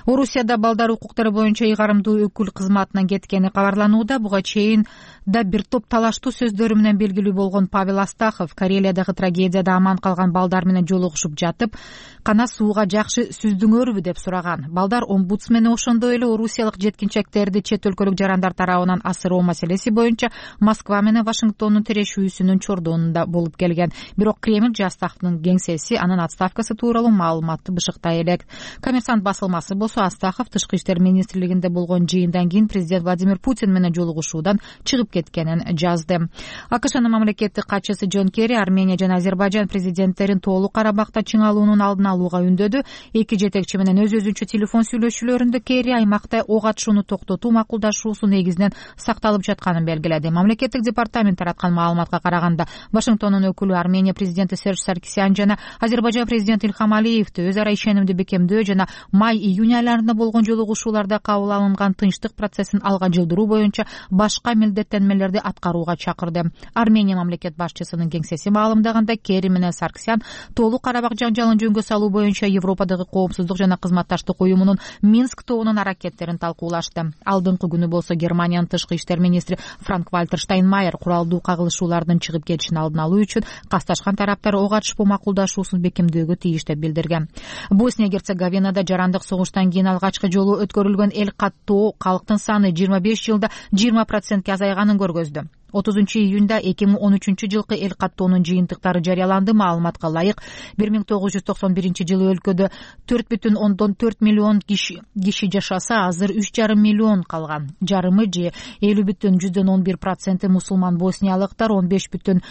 Орусияда балдар укуктары боюнча ыйгарымдуу өкүл кызматынан кеткени кабарланууда. Буга чейин да бир топ талаштуу сөздөрү менен белгилүү болгон Павел Астахов Карелиядагы трагедияда аман калган балдар менен жолугушуп жатып, кана сууга жакшы сүздүңөрбү деп сураган. Балдар омбудсмени ошондой эле орусиялык жеткинчектерди чет өлкөлүк жарандар тарабынан асыроо маселеси боюнча Москва менен Вашингтондун тирешүүсүнүн чордонунда болуп келген. Бирок Кремль Астаховдун кеңсеси анын отставкасы тууралуу маалыматты бышыктай элек. Коммерсант басылмасы болсо Астахов тышкы иштер министрлигинде болгон жыйындан кийин президент Владимир Путин менен жолугушуудан чыгып кеткенин жазды. АКШнын мамлекеттик катчысы Джон Керри Армения жана Азербайжан президенттерин толук Карабакта чыңалуунун алдын алууга үндөдү. Эки жетекчи менен өз-өзүнчө телефон сүйлөшүүлөрүндө Керри аймакта ок атышууну токтотуу макулдашуусу негизинен сакталып жатканын белгиледи. Мамлекеттик департамент тараткан маалыматка караганда, Вашингтондун өкүлү Армения президенти Серж Саркисян жана Азербайжан президенти Илхам Алиевди өз ара ишенимди бекемдөө жана май-июнь айларында болгон жолугушууларда кабыл алынган тынчтык процессин алга жылдыруу боюнча башка милдеттенмелерди аткарууга чакырды. Армения мамлекет башчысынын кеңсеси маалымдаганда, Керри менен Саркисян толук Карабак жаңжалын жөнгө салуу боюнча Европадагы коопсуздук жана кызматташтык уюмунун Минск тобунун аракеттерин талкуулашты. Алдыңкы күнү болсо Германиянын тышкы иштер министри Франк Вальтер Штайнмайер куралдуу кагылышуулардын чыгып кетишин алдын алуу үчүн касташкан тараптар ок атышпоо макулдашуусун бекемдөөгө тийиш деп билдирген. Босния Герцеговинада жарандык согуштан кийин алгачкы жолу өткөрүлгөн эл каттоо калктын саны жыйырма беш жылда жыйырма процентке азайганын көргөздү. отузунчу июнда эки миң он үчүнчү жылкы эл каттоонун жыйынтыктары жарыяланды. Маалыматка ылайык, бир миң тогуз жүз токсон биринчи жылы өлкөдө төрт бүтүн ондон төрт миллион киши киши жашаса, азыр үч жарым миллион калган. Жарымы же элүү бүтүн жүздөн он бир проценти мусулман босниялыктар, он беш бүтүн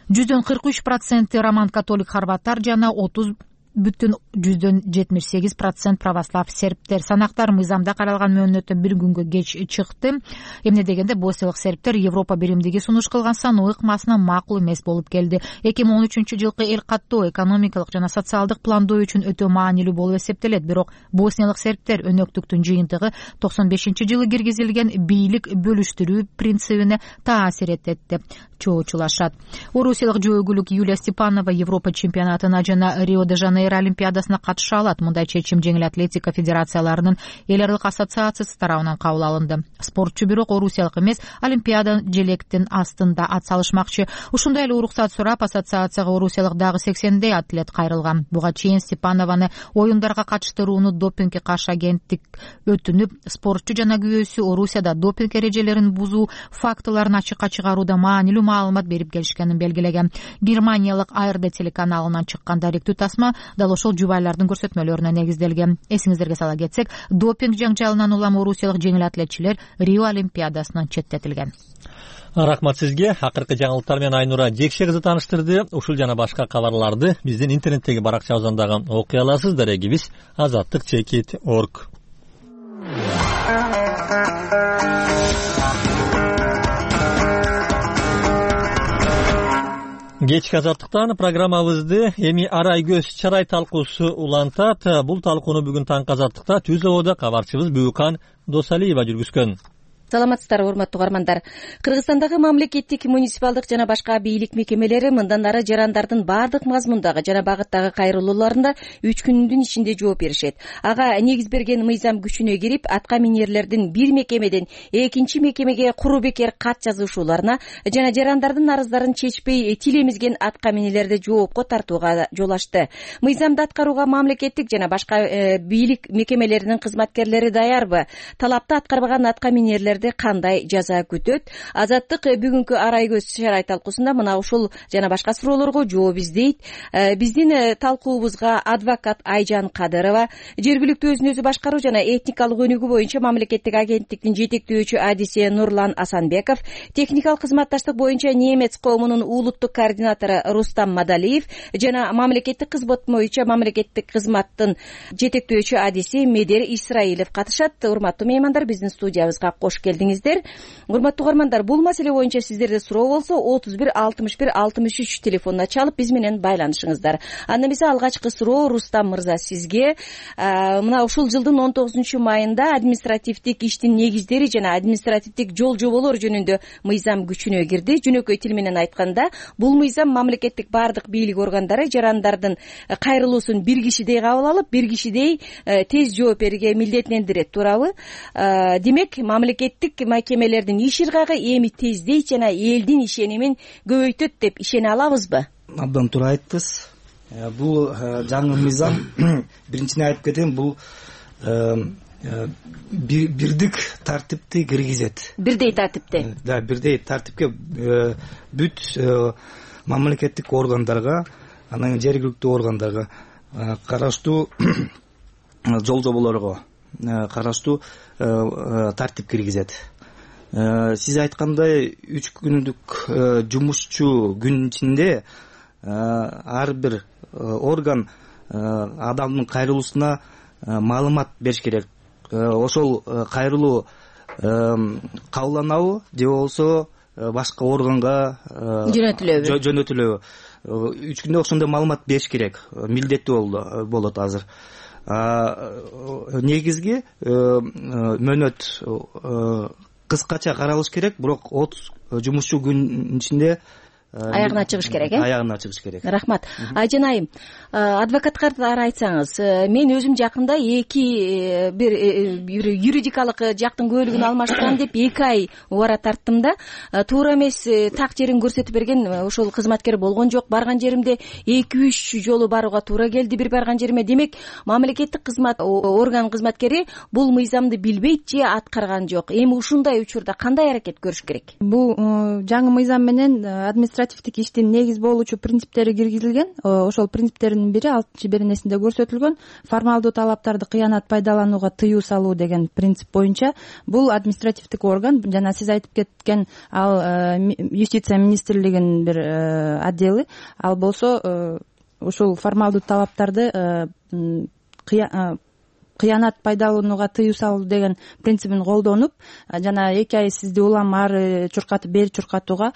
жүздөн кырк үч проценти роман католик хорваттар жана отуз бүтүн жүздөн жетимиш сегиз процент православ сербтер. Санактар мыйзамда каралган мөөнөттөн бир күнгө кеч чыкты. Эмне дегенде босниялык сербтер Европа биримдиги сунуш кылган саноо ыкмасына макул эмес болуп келди. эки миң он үчүнчү жылкы эл каттоо экономикалык жана социалдык пландоо үчүн өтө маанилүү болуп эсептелет. Бирок босниялык сербтер өнөктүктүн жыйынтыгы токсон бешинчи жылы киргизилген бийлик бөлүштүрүү принцибине таасир этет деп чоочулашат. Орусиялык жөө өгүлүк Юлия Степанова Европа чемпионатына жана Рио де Жанейро олимпиадасына катыша алат. Мындай чечим жеңил атлетика федерацияларынын эл аралык ассоциациясы тарабынан кабыл алынды. Спортчу бирок орусиялык эмес, олимпиада желектин астында ат салышмакчы. Ушундай эле уруксат сурап, ассоциацияга орусиялык дагы сексендей атлет кайрылган. Буга чейин Степанованы оюндарга катыштырууну допингге каршы агенттик өтүнүп, спортчу жана күйөөсү Орусияда допинг эрежелерин бузуу фактыларын ачыкка чыгарууда маанилүү маалымат берип келишкенин белгилеген. Германиялык А Р Д телеканалынан чыккан даректүү тасма дал ошол жубайлардын көрсөтмөлөрүнө негизделген. Эсиңиздерге сала кетсек, допинг жаңжалынан улам орусиялык жеңил атлетчилер Рио олимпиадасынан четтетилген. Рахмат сизге. Акыркы жаңылыктар менен Айнура Жекше кызы тааныштырды. Ушул жана башка кабарларды биздин интернеттеги баракчабыздан окуй аласыздар. Регибиз азаттык чекит точка орг. Кечки азаттыктан программабызды эми арай көз чарай талкуусу улантат. Бул талкууну бүгүн таңкы азаттыкта Түз ободо кабарчыбыз Бүкан Досалиева жүргүзгөн. Саламатсыздарбы, урматтуу угармандар. Кыргызстандагы мамлекеттик, муниципалдык жана башка бийлик мекемелери мындан ары жарандардын баардык мазмундагы жана багыттагы кайрылууларында үч күндүн ичинде жооп беришет. Ага негиз берген мыйзам күчүнө кирип, атка минерлердин бир мекемеден экинчи мекемеге куру бекер кат жазышууларына жана жарандардын арыздарын чечпей тилемизген атка минелерди жоопко тартууга жол ачты. Мыйзамды аткарууга мамлекеттик жана башка бийлик мекемелеринин кызматкерлери даярбы? Талапты аткарбаган атка минерлер кандай жаза күтөт? Азаттык бүгүнкү арай көз чарай талкуусунда мына ушул жана башка суроолорго жооп издейт. Биздин талкуубузга адвокат Айжан Кадырова, жергиликтүү өзүн өзү башкаруу жана этникалык өнүгүү боюнча мамлекеттик агенттиктин жетектөөчү адиси Нурлан Асанбеков, техникалык кызматташтык боюнча немец коомунун улуттук координатору Рустам Мадалиев жана мамлекеттик кызмат боюнча мамлекеттик кызматтын жетектөөчү адиси Медер Исраилов катышат. Урматтуу меймандар, биздин студиябызга кош келдиңиздер. Урматтуу угармандар, бул маселе боюнча сиздерде суроо болсо отуз бир алтымыш бир алтымыш үч телефонуна чалып биз менен байланышыңыздар. Анда эмесе алгачкы суроо Рустам мырза сизге. Мына ушул жылдын он тогузунчу майында административдик иштин негиздери жана административдик жол жоболор жөнүндө мыйзам күчүнө кирди. Жөнөкөй тил менен айтканда, бул мыйзам мамлекеттик баардык бийлик органдары жарандардын кайрылуусун бир кишидей кабыл алып, бир кишидей тез жооп берүүгө милдеттендирет, туурабы? Демек, мамлекеттик мекемелердин иш ыргагы эми тездейт жана элдин ишенимин көбөйтөт деп ишене алабызбы? Абдан туура айттыңыз. Бул жаңы мыйзам, биринчиден айтып кетейин, бул бирдик тартипти киргизет. Бирдей тартипти? Да, бирдей тартипке бүт мамлекеттик органдарга, анан жергиликтүү органдарга караштуу жол жоболорго караштуу тартип киргизет. Сиз айткандай үч күндүк жумушчу күн ичинде ар бир орган адамдын кайрылуусуна маалымат бериш керек. Ошол кайрылуу кабылданабы же болбосо башка органга жөнөтүлөбү? Жөнөтүлөбү? Үч күндө ошондой маалымат бериш керек. Милдеттүү болот азыр. Негизги мөөнөт кыскача каралыш керек, бирок отуз жумушчу күн ичинде аягына чыгыш керек, э? Аягына чыгыш керек. Рахмат. Айжан айым, адвокаттар айтсаңыз, мен өзүм жакында эки бир юридикалык жактын көөлүгүн алмаштырам деп эки ай убара тарттым да, туура эмес так жерин көрсөтүп берген ошол кызматкер болгон жок. Барган жеримде эки үч жолу барууга туура келди бир барган жериме. Демек, мамлекеттик кызмат орган кызматкери бул мыйзамды билбейт же аткарган жок. Эми ушундай учурда кандай аракет көрүш керек? Бул жаңы мыйзам менен административдик иштин негиз болуучу принциптери киргизилген. Ошол принциптердин бири алтынчы беренесинде көрсөтүлгөн. Формалдуу талаптарды кыянат пайдаланууга тыюу салуу деген принцип боюнча бул административдик орган жана сиз айтып кеткен ал юстиция министрлигинин бир отделы, ал болсо ушул формалдуу талаптарды кыянат пайдаланууга тыюу салуу деген принцибин колдонуп жана эки ай сизди улам ары чуркатып бери чуркатууга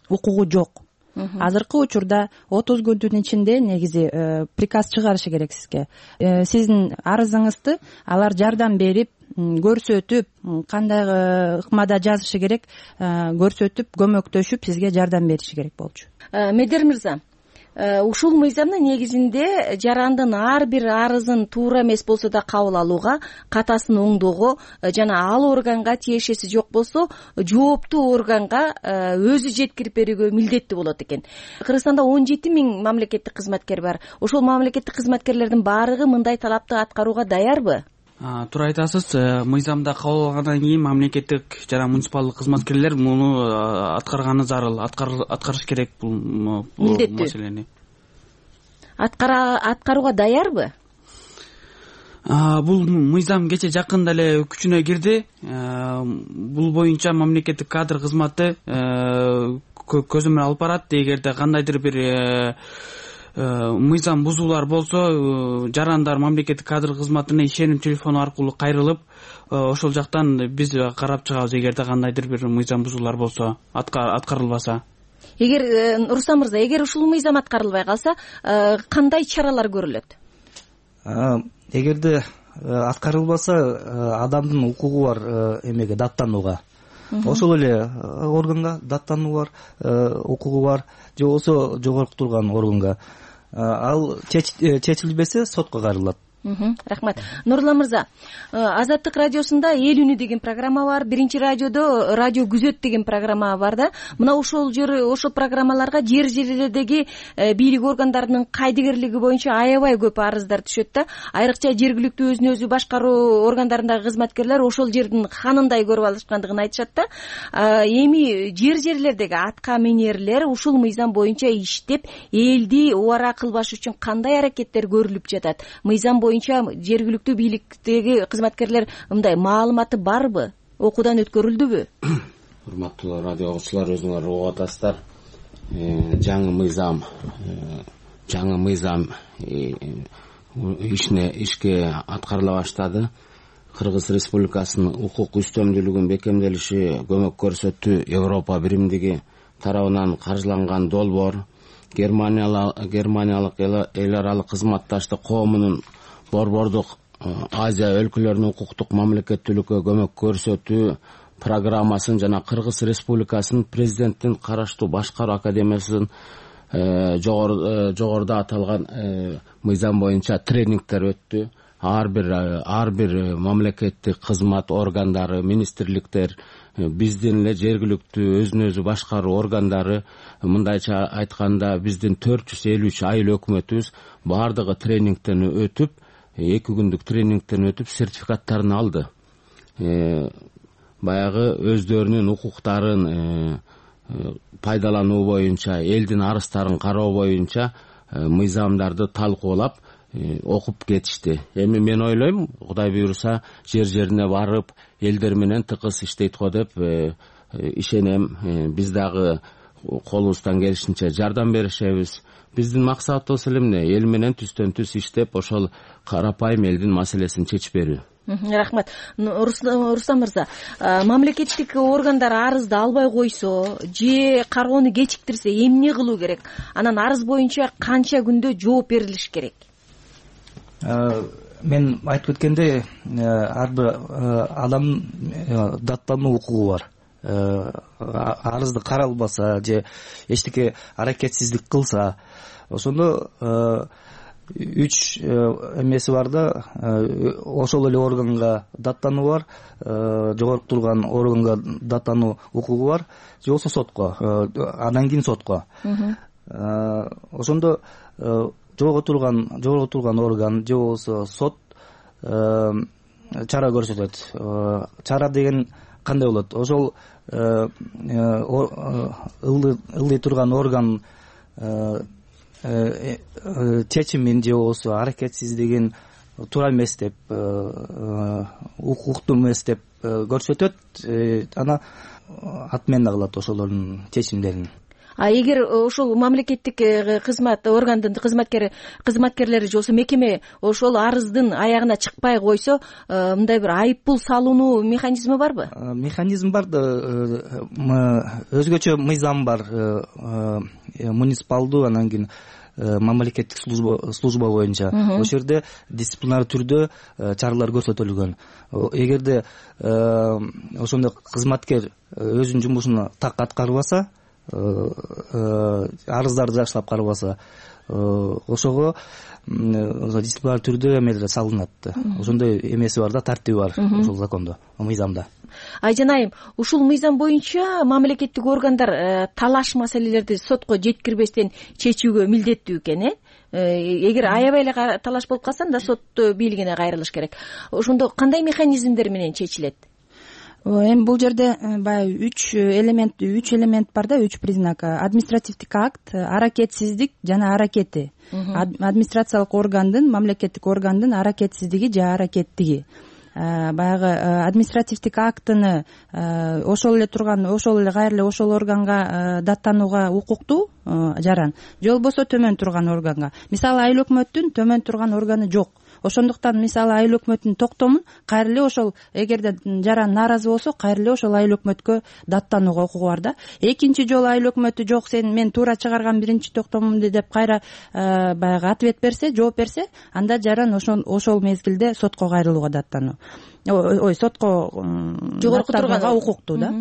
укугу жок. Азыркы учурда отуз күндүн ичинде негизи приказ чыгарышы керек сизге. Сиздин арызыңызды алар жардам берип, көрсөтүп, кандай ыкмада жазышы керек көрсөтүп, көмөктөшүп сизге жардам бериши керек болчу. Медер мырза, ушул мыйзамдын негизинде жарандын ар бир арызын туура эмес болсо да кабыл алууга, катасын оңдоого жана ал органга тиешеси жок болсо жооптуу органга өзү жеткирип берүүгө милдеттүү болот экен. Кыргызстанда он жети миң мамлекеттик кызматкер бар. Ошол мамлекеттик кызматкерлердин баардыгы мындай талапты аткарууга даярбы? Туура айтасыз. Мыйзамда кабыл алгандан кийин мамлекеттик жана муниципалдык кызматкерлер муну аткарганы зарыл, аткарыш керек бул маселени. Аткарууга даярбы? Бул мыйзам кече жакында эле күчүнө кирди. Бул боюнча мамлекеттик кадр кызматы көзөмөл алып барат. Эгерде кандайдыр бир мыйзам бузуулар болсо, жарандар мамлекеттик кадр кызматына ишеним телефону аркылуу кайрылып, ошол жактан биз карап чыгабыз эгерде кандайдыр бир мыйзам бузуулар болсо, аткарылбаса. Эгер Рустам мырза, эгер ушул мыйзам аткарылбай калса, кандай чаралар көрүлөт? Эгерде аткарылбаса, адамдын укугу бар эмеге, даттанууга. Ошол эле органга даттануу бар, укугу бар, же болбосо жогорку турган органга. Ал чечилбесе сотко кайрылат. Рахмат. Нурлан мырза, Азаттык радиосунда Эл үнү деген программа бар, Биринчи радиодо Радио күзөт деген программа бар да. Мына ошол жер ошол программаларга жер жерлердеги бийлик органдарынын кайдыгерлиги боюнча аябай көп арыздар түшөт да. Айрыкча жергиликтүү өзүн өзү башкаруу органдарындагы кызматкерлер ошол жердин ханындай көрүп алышкандыгын айтышат да. Эми жер жерлердеги атка минерлер ушул мыйзам боюнча иштеп, элди убара кылбаш үчүн кандай аракеттер көрүлүп жатат? Мыйзам боюнча жергиликтүү бийликтеги кызматкерлер мындай маалыматы барбы? Окуудан өткөрүлдүбү? Урматтуу радио угуучулар, өзүңөр угуп атасыздар. Жаңы мыйзам, жаңы мыйзам ишне ишке аткарыла баштады. Кыргыз Республикасынын укук үстөмдүүлүгүн бекемделиши көмөк көрсөттү Европа биримдиги тарабынан каржыланган долбоор Германиялык эл аралык кызматташтык коомунун Борбордук Азия өлкөлөрүнүн укуктук мамлекеттүүлүккө көмөк көрсөтүү программасын жана Кыргыз Республикасынын президенттин караштуу башкаруу академиясынын жогоруда аталган мыйзам боюнча тренингдер өттү. Ар бир ар бир мамлекеттик кызмат органдары, министрликтер, биздин эле жергиликтүү өзүн өзү башкаруу органдары, мындайча айтканда биздин төрт жүз элүү үч айыл өкмөтүбүз баардыгы тренингден өтүп, эки күндүк тренингден өтүп сертификаттарын алды. Баягы өздөрүнүн укуктарын пайдалануу боюнча, элдин арыздарын кароо боюнча мыйзамдарды талкуулап окуп кетишти. Эми мен ойлойм, Кудай буйруса, жер жерине барып, элдер менен тыкыз иштейт го деп ишенем. Биз дагы колубуздан келишинче жардам беришебиз. Биздин максатыбыз эле эмне? Эл менен түстөн түз иштеп, ошол карапайым элдин маселесин чечип берүү. Рахмат. Рустам мырза, мамлекеттик органдар арызды албай койсо же кароону кечиктирсе эмне кылуу керек? Анан арыз боюнча канча күндө жооп берилиш керек? Мен айтып өткендей, ар бир адам даттануу укугу бар. Арызды каралбаса же эчтеке аракетсиздик кылса, ошондо үч эмеси бар да, ошол эле органга даттануу бар, жогорку турган органга даттануу укугу бар, же болбосо сотко, андан кийин сотко. Ошондо жогорку турган жогорку турган орган же болбосо сот чара көрсөтөт. Чара деген кандай болот? Ошол ылдый турган орган чечимин же болбосо аракетсиздигин туура эмес деп, укуктуу эмес деп көрсөтөт, ана атмена кылат ошолордун чечимдерин. А эгер ошол мамлекеттик кызмат органдын кызматкери кызматкерлери же болбосо мекеме ошол арыздын аягына чыкпай койсо, мындай бир айып пул салынуу механизми барбы? Механизм бар да, өзгөчө мыйзам бар, муниципалдуу, анан кийин мамлекеттик служба служба боюнча. Ошол жерде дисциплинар түрдө чаралар көрсөтүлгөн. Эгерде ошондой кызматкер өзүнүн жумушун так аткарбаса, арыздарды жакшылап карабаса, ошого дисциплинар түрдө эмелер салынат. Ошондой эмеси бар да, тартиби бар ошол закондо, мыйзамда. Айжан айым, ушул мыйзам боюнча мамлекеттик органдар талаш маселелерди сотко жеткирбестен чечүүгө милдеттүү экен, э? Эгер аябай эле талаш болуп калса, анда сот бийлигине кайрылыш керек. Ошондо кандай механизмдер менен чечилет? Эми бул жерде баягы үч элемент, үч элемент бар да, үч признак: административдик акт, аракетсиздик жана аракети. Администрациялык органдын, мамлекеттик органдын аракетсиздиги же аракеттиги. Баягы административдик актыны ошол эле турган, ошол эле кайра эле ошол органга даттанууга укуктуу жаран, же болбосо төмөн турган органга. Мисалы, айыл өкмөттүн төмөн турган органы жок. Ошондуктан мисалы айыл өкмөттүн токтомун кайра эле ошол, эгерде жаран нааразы болсо, кайра эле ошол айыл өкмөткө даттанууга укугу бар да. Экинчи жолу айыл өкмөтү жок, сен мен туура чыгарган биринчи токтомумду деп кайра баягы ответ берсе, жооп берсе, анда жаран ошол ошол мезгилде сотко кайрылууга даттануу. Ой, сотко жогорку турганга укуктуу да.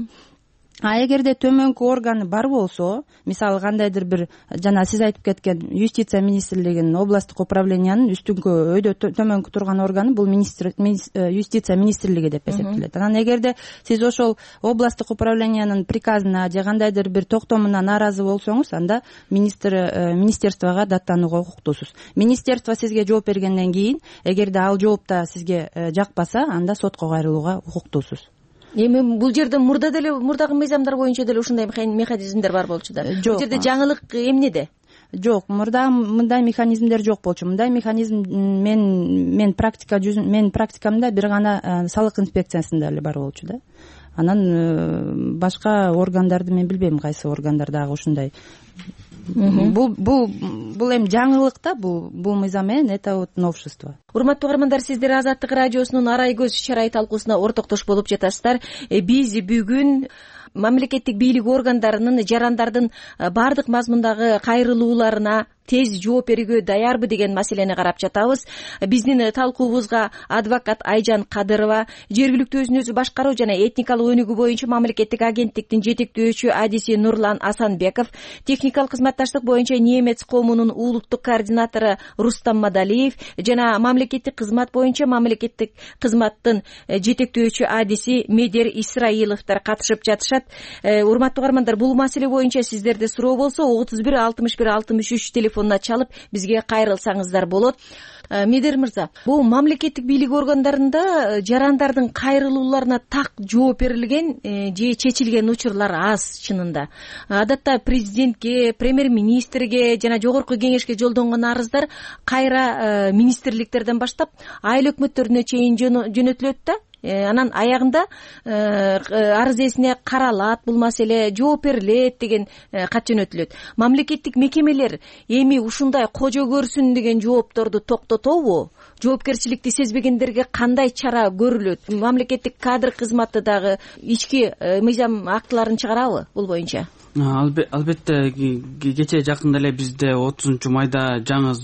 А эгерде төмөнкү органы бар болсо, мисалы кандайдыр бир, жана сиз айтып кеткен юстиция министрлигинин областтык управлениянын үстүнкү өйдө төмөнкү турган органы бул юстиция министрлиги деп эсептелет. Анан эгерде сиз ошол областтык управлениянын приказына же кандайдыр бир токтомуна нааразы болсоңуз, анда министр министерствого даттанууга укуктуусуз. Министерство сизге жооп бергенден кийин, эгерде ал жооп да сизге жакпаса, анда сотко кайрылууга укуктуусуз. Эми бул жерде мурда деле, мурдагы мыйзамдар боюнча деле ушундай механизмдер бар болчу да. Бул жерде жаңылык эмнеде? Жок, мурда мындай механизмдер жок болчу. Мындай механизм мен мен практика жүзүн мен практикамда бир гана салык инспекциясында эле бар болчу да. Анан башка органдарды мен билбейм, кайсы органдар дагы ушундай. Бул бул бул эми жаңылык да, бул бул мыйзам менен это вот новшество. Урматтуу угармандар, сиздер Азаттык радиосунун Арай көз чарай талкуусуна ортоктош болуп жатасыздар. Биз бүгүн мамлекеттик бийлик органдарынын жарандардын баардык мазмундагы кайрылууларына тез жооп берүүгө даярбы деген маселени карап жатабыз. Биздин талкуубузга адвокат Айжан Кадырова, жергиликтүү өзүн өзү башкаруу жана этникалык өнүгүү боюнча мамлекеттик агенттиктин жетектөөчү адиси Нурлан Асанбеков, техникалык кызматташтык боюнча немец коомунун улуттук координатору Рустам Мадалиев жана мамлекеттик кызмат боюнча мамлекеттик кызматтын жетектөөчү адиси Медер Исраиловдор катышып жатышат. Урматтуу угармандар, бул маселе боюнча сиздерде суроо болсо отуз бир алтымыш бир алтымыш үч телефонуна чалып бизге кайрылсаңыздар болот. Медер мырза, бул мамлекеттик бийлик органдарында жарандардын кайрылууларына так жооп берилген же чечилген учурлар аз чынында. Адатта президентке, премьер-министрге жана жогорку кеңешке жолдонгон арыздар кайра министрликтерден баштап айыл өкмөттөрүнө чейин жөнөтүлөт да. Анан аягында арыз ээсине каралат, бул маселе жооп берилет деген кат жөнөтүлөт. Мамлекеттик мекемелер эми ушундай кожо көрсүн деген жоопторду токтотобу? Жоопкерчиликти сезбегендерге кандай чара көрүлөт? Мамлекеттик кадр кызматы дагы ички мыйзам актыларын чыгарабы бул боюнча? Албетте, кечээ жакында эле бизде отузунчу майда жаңы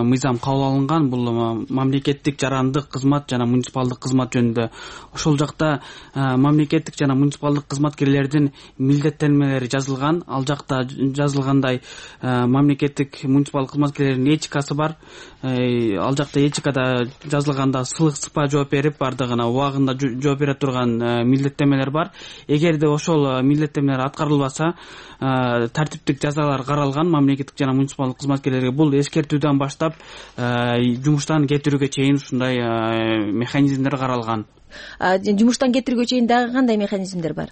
мыйзам кабыл алынган. Бул мамлекеттик жарандык кызмат жана муниципалдык кызмат жөнүндө. Ошол жакта мамлекеттик жана муниципалдык кызматкерлердин милдеттенмелери жазылган. Ал жакта жазылгандай мамлекеттик муниципалдык кызматкерлердин этикасы бар. Ал жакта этикада жазылганда сылык сыпа жооп берип, бардыгына убагында жооп бере турган милдеттенмелер бар. Эгерде ошол милдеттенмелер аткарылбаса, тартиптик жазалар каралган мамлекеттик жана муниципалдык кызматкерлерге. Бул эскертүүдөн баштап жумуштан кетирүүгө чейин ушундай механизмдер каралган. Жумуштан кетирүүгө чейин дагы кандай механизмдер бар?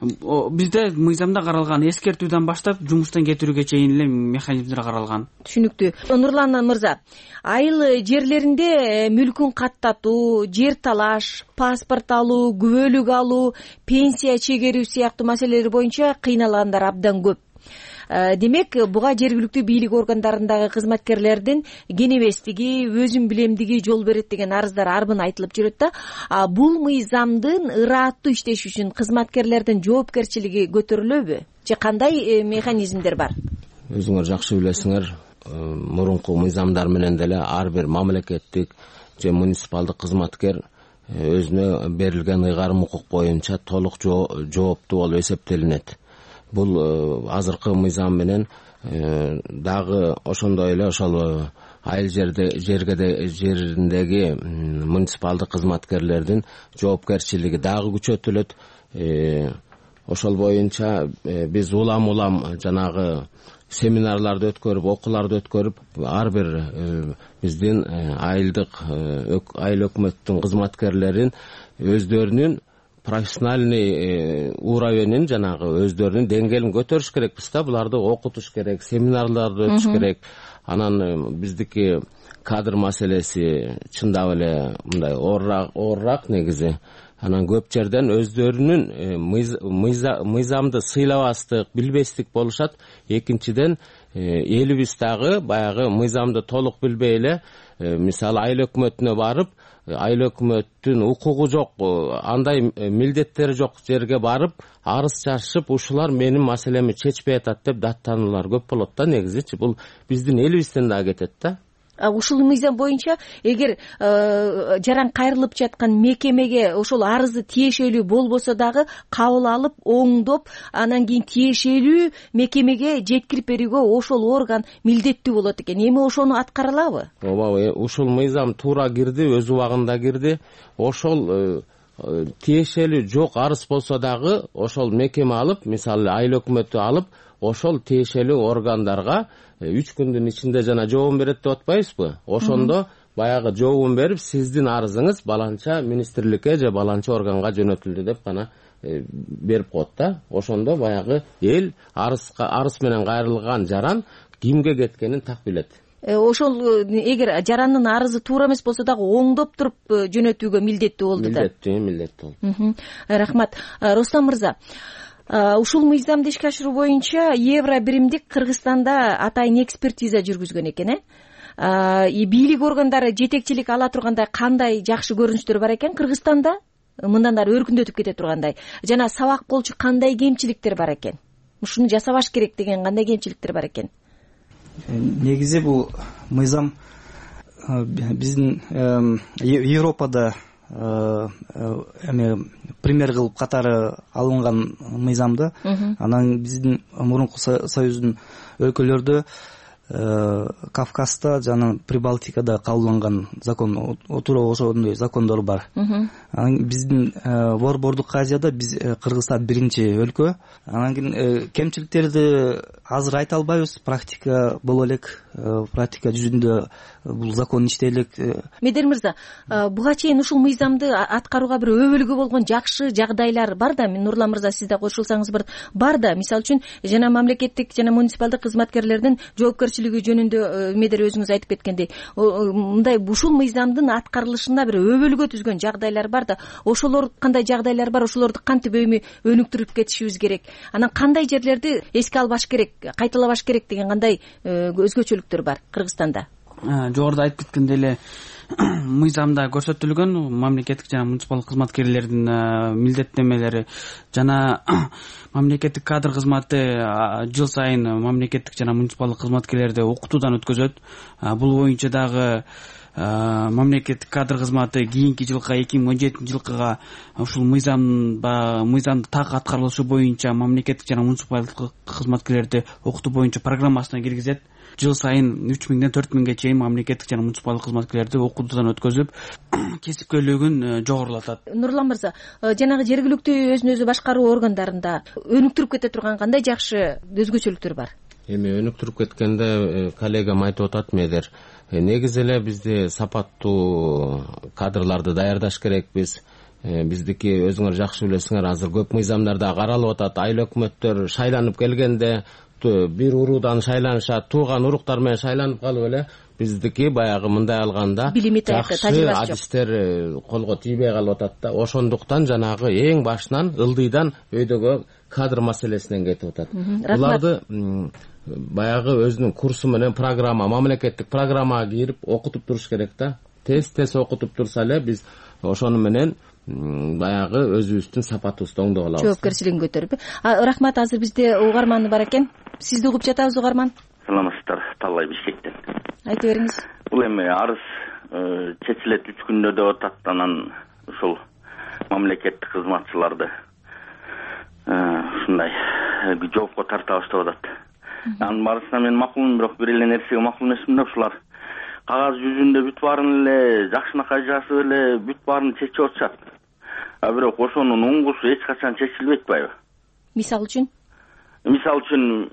Бизде мыйзамда каралган эскертүүдөн баштап жумуштан кетирүүгө чейин эле механизмдер каралган. Түшүнүктүү. Нурлан мырза, айыл жерлеринде мүлкүн каттатуу, жер талаш, паспорт алуу, күбөлүк алуу, пенсия чегерүү сыяктуу маселелер боюнча кыйналгандар абдан көп. Демек буга жергиликтүү бийлик органдарындагы кызматкерлердин кенебестиги, өзүн билемдиги жол берет деген арыздар арбын айтылып жүрөт да. Бул мыйзамдын ырааттуу иштеши үчүн кызматкерлердин жоопкерчилиги көтөрүлөбү же кандай механизмдер бар? Өзүңөр жакшы билесиңер, мурунку мыйзамдар менен деле ар бир мамлекеттик же муниципалдык кызматкер өзүнө берилген ыйгарым укук боюнча толук жооптуу болуп эсептелинет. Бул азыркы мыйзам менен дагы ошондой эле ошол айыл жерде жерге жериндеги муниципалдык кызматкерлердин жоопкерчилиги дагы күчөтүлөт. Ошол боюнча биз улам улам жанагы семинарларды өткөрүп, окууларды өткөрүп, ар бир биздин айылдык айыл өкмөттүн кызматкерлерин өздөрүнүн профессиональный уровенин жанагы өздөрүнүн деңгээлин көтөрүш керекпиз да. Буларды окутуш керек, семинарларды өтүш керек. Анан биздики кадр маселеси чындап эле мындай оорураак негизи. Анан көп жерден өздөрүнүн мыйзамды сыйлабастык, билбестик болушат. Экинчиден элибиз дагы баягы мыйзамды толук билбей эле, мисалы айыл өкмөтүнө барып, айыл өкмөттүн укугу жок, андай милдеттери жок жерге барып арыз жазышып, ушулар менин маселеми чечпей атат деп даттануулар көп болот да негизичи. Бул биздин элибизден дагы кетет да. Ушул мыйзам боюнча эгер жаран кайрылып жаткан мекемеге ошол арызы тиешелүү болбосо дагы кабыл алып, оңдоп, анан кийин тиешелүү мекемеге жеткирип берүүгө ошол орган милдеттүү болот экен. Эми ошону аткара алабы? Ооба, ушул мыйзам туура кирди, өз убагында кирди. Ошол тиешелүү жок арыз болсо дагы ошол мекеме алып, мисалы айыл өкмөтү алып, ошол тиешелүү органдарга үч күндүн ичинде жана жообун берет деп атпайбызбы? Ошондо баягы жообун берип, сиздин арызыңыз баланча министрликке же баланча органга жөнөтүлдү деп гана берип коет да. Ошондо баягы эл арызга арыз менен кайрылган жаран кимге кеткенин так билет. Ошол эгер жарандын арызы туура эмес болсо дагы оңдоп туруп жөнөтүүгө милдеттүү болду да. Милдеттүү, милдеттүү болду. Рахмат. Рустам мырза, ушул мыйзамды ишке ашыруу боюнча евро биримдик Кыргызстанда атайын экспертиза жүргүзгөн экен, э? Бийлик органдары жетекчилик ала тургандай кандай жакшы көрүнүштөр бар экен Кыргызстанда? Мындан ары өркүндөтүп кете тургандай. Жана сабак болчу кандай кемчиликтер бар экен? Ушуну жасабаш керек деген кандай кемчиликтер бар экен? Негизи бул мыйзам биздин Европада эме пример кылып катары алынган мыйзам да. Анан биздин мурунку союздун өлкөлөрдө Кавказда жана Прибалтикада кабылданган закон, туура ошондой закондор бар. Анан биздин Борбордук Азияда биз Кыргызстан биринчи өлкө. Анан кийин кемчиликтерди азыр айта албайбыз, практика боло элек, практика жүзүндө бул закон иштей элек. Медер мырза, буга чейин ушул мыйзамды аткарууга бир өбөлгө болгон жакшы жагдайлар бар да. Нурлан мырза, сиз да кошулсаңыз бир бар да. Мисалы үчүн жана мамлекеттик жана муниципалдык кызматкерлердин жоопкерчилиги жөнүндө Медер өзүңүз айтып кеткендей, мындай ушул мыйзамдын аткарылышына бир өбөлгө түзгөн жагдайлар бар да. Ошолор кандай жагдайлар бар? Ошолорду кантип өнүктүрүп кетишибиз керек? Анан кандай жерлерди эске албаш керек, кайталабаш керек деген кандай өзгөчөлүктөр бар Кыргызстанда? Жогоруда айтып кеткендей эле мыйзамда көрсөтүлгөн мамлекеттик жана муниципалдык кызматкерлердин милдеттенмелери жана мамлекеттик кадр кызматы жыл сайын мамлекеттик жана муниципалдык кызматкерлерди окутуудан өткөзөт. Бул боюнча дагы мамлекеттик кадр кызматы кийинки жылга эки миң он жетинчи жылкыга ушул мыйзам мыйзамды так аткарылышы боюнча мамлекеттик жана муниципалдык кызматкерлерди окутуу боюнча программасына киргизет. Жыл сайын үч миңден төрт миңге чейин мамлекеттик жана муниципалдык кызматкерлерди окутуудан өткөзүп, кесипкөйлүгүн жогорулатат. Нурлан мырза, жанагы жергиликтүү өзүн өзү башкаруу органдарында өнүктүрүп кете турган кандай жакшы өзгөчөлүктөр бар? Эми өнүктүрүп кеткенде коллегам айтып атат Медер. Негизи эле бизде сапаттуу кадрларды даярдаш керекпиз. Биздики өзүңөр жакшы билесиңер, азыр көп мыйзамдарда каралып атат. Айыл өкмөттөр шайланып келгенде бир уруудан шайланышат, тууган уруктар менен шайланып калып эле биздики баягы мындай алганда жакшы адистер колго тийбей калып атат да. Ошондуктан жанагы эң башынан ылдыйдан өйдөгө кадр маселесинен кетип атат. Буларды баягы өзүнүн курсу менен программа, мамлекеттик программага кирип окутуп туруш керек да. Тез тез окутуп турса эле биз ошону менен баягы өзүбүздүн сапатыбызды оңдоп алабыз. Жоопкерчилигин көтөрүп. Рахмат, азыр бизде угарман бар экен. Сизди угуп жатабыз, угарман. Саламатсыздар, Таллай Бишкектен. Айтып бериңиз. Бул эми арыз чечилет үч күндө деп атат, анан ушул мамлекеттик кызматчыларды ушундай жоопко тартабыз деп атат. Анын барысына мен макулмун, бирок бир эле нерсеге макул эмесмин да, ушулар кагаз жүзүндө бүт баарын эле жакшынакай жазып эле бүт баарын чечип атышат. А бирок ошонун уңгусу эч качан чечилбейт атпайбы? Мисалы үчүн? Мисалы үчүн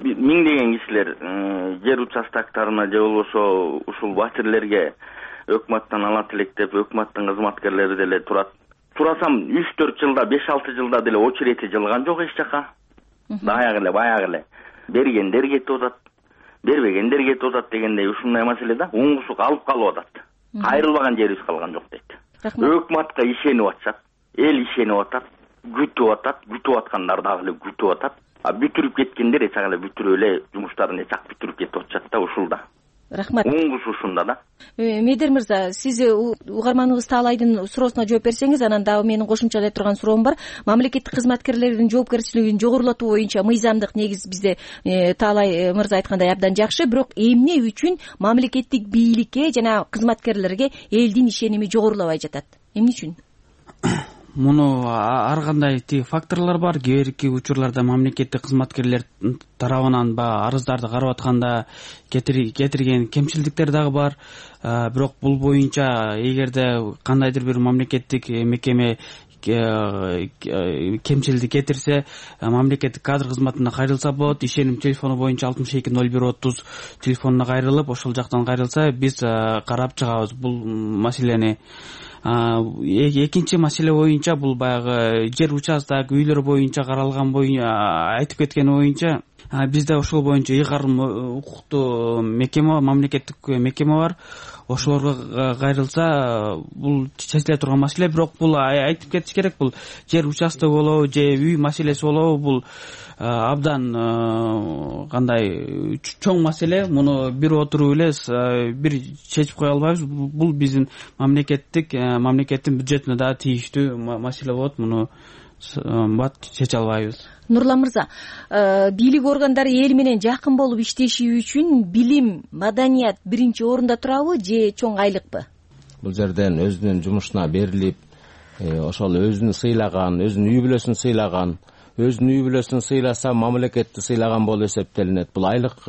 миңдеген кишилер жер участоктарына же болбосо ушул батирлерге өкмөттөн ала тилектеп, өкмөттүн кызматкерлери деле турат. Турасам үч төрт жылда, беш алты жылда деле очерети жылган жок эч жака. Баягы эле, баягы эле бергендер кетип атат, бербегендер кетип атат дегендей ушундай маселе да, уңгусу алып калып атат. Кайрылбаган жерибиз калган жок дейт. Өкмөткө ишенип атышат, эл ишенип атат, күтүп атат, күтүп аткандар дагы эле күтүп атат. А бүтүрүп кеткендер эч эле бүтүрүп эле жумуштарын эч ак бүтүрүп кетип атышат да ушулда. Рахмат. Уңгусу ушунда да. Медер мырза, сиз угарманыбыз Таалайдын суроосуна жооп берсеңиз, анан дагы менин кошумчалай турган суроом бар. Мамлекеттик кызматкерлердин жоопкерчилигин жогорулатуу боюнча мыйзамдык негиз бизде Таалай мырза айткандай абдан жакшы, бирок эмне үчүн мамлекеттик бийликке жана кызматкерлерге элдин ишеними жогорулабай жатат? Эмне үчүн? Муну ар кандай тиги факторлор бар. Кээ бирки учурларда мамлекеттик кызматкерлер тарабынан баягы арыздарды карап атканда кетирген кемчилдиктер дагы бар. Бирок бул боюнча эгерде кандайдыр бир мамлекеттик мекеме кемчилдик кетирсе, мамлекеттик кадр кызматына кайрылса болот. Ишеним телефону боюнча алтымыш эки ноль бир отуз телефонуна кайрылып, ошол жактан кайрылса биз карап чыгабыз бул маселени. Экинчи маселе боюнча бул баягы жер участок, үйлөр боюнча каралган боюнча айтып кеткен боюнча бизде ошол боюнча ыйгарым укуктуу мекеме, мамлекеттик мекеме бар. Ошолорго кайрылса бул чечиле турган маселе, бирок бул айтып кетиш керек, бул жер участок болобу же үй маселеси болобу, бул абдан кандай чоң маселе. Муну бир отуруп эле бир чечип кое албайбыз. Бул биздин мамлекеттик мамлекеттин бюджетине да тийиштүү маселе болот. Муну бат чече албайбыз. Нурлан мырза, бийлик органдары эл менен жакын болуп иштеши үчүн билим, маданият биринчи орунда турабы же чоң айлыкпы? Бул жерден өзүнүн жумушуна берилип, ошол өзүн сыйлаган, өзүнүн үй бүлөсүн сыйлаган, өзүнүн үй бүлөсүн сыйласа мамлекетти сыйлаган болуп эсептелинет. Бул айлык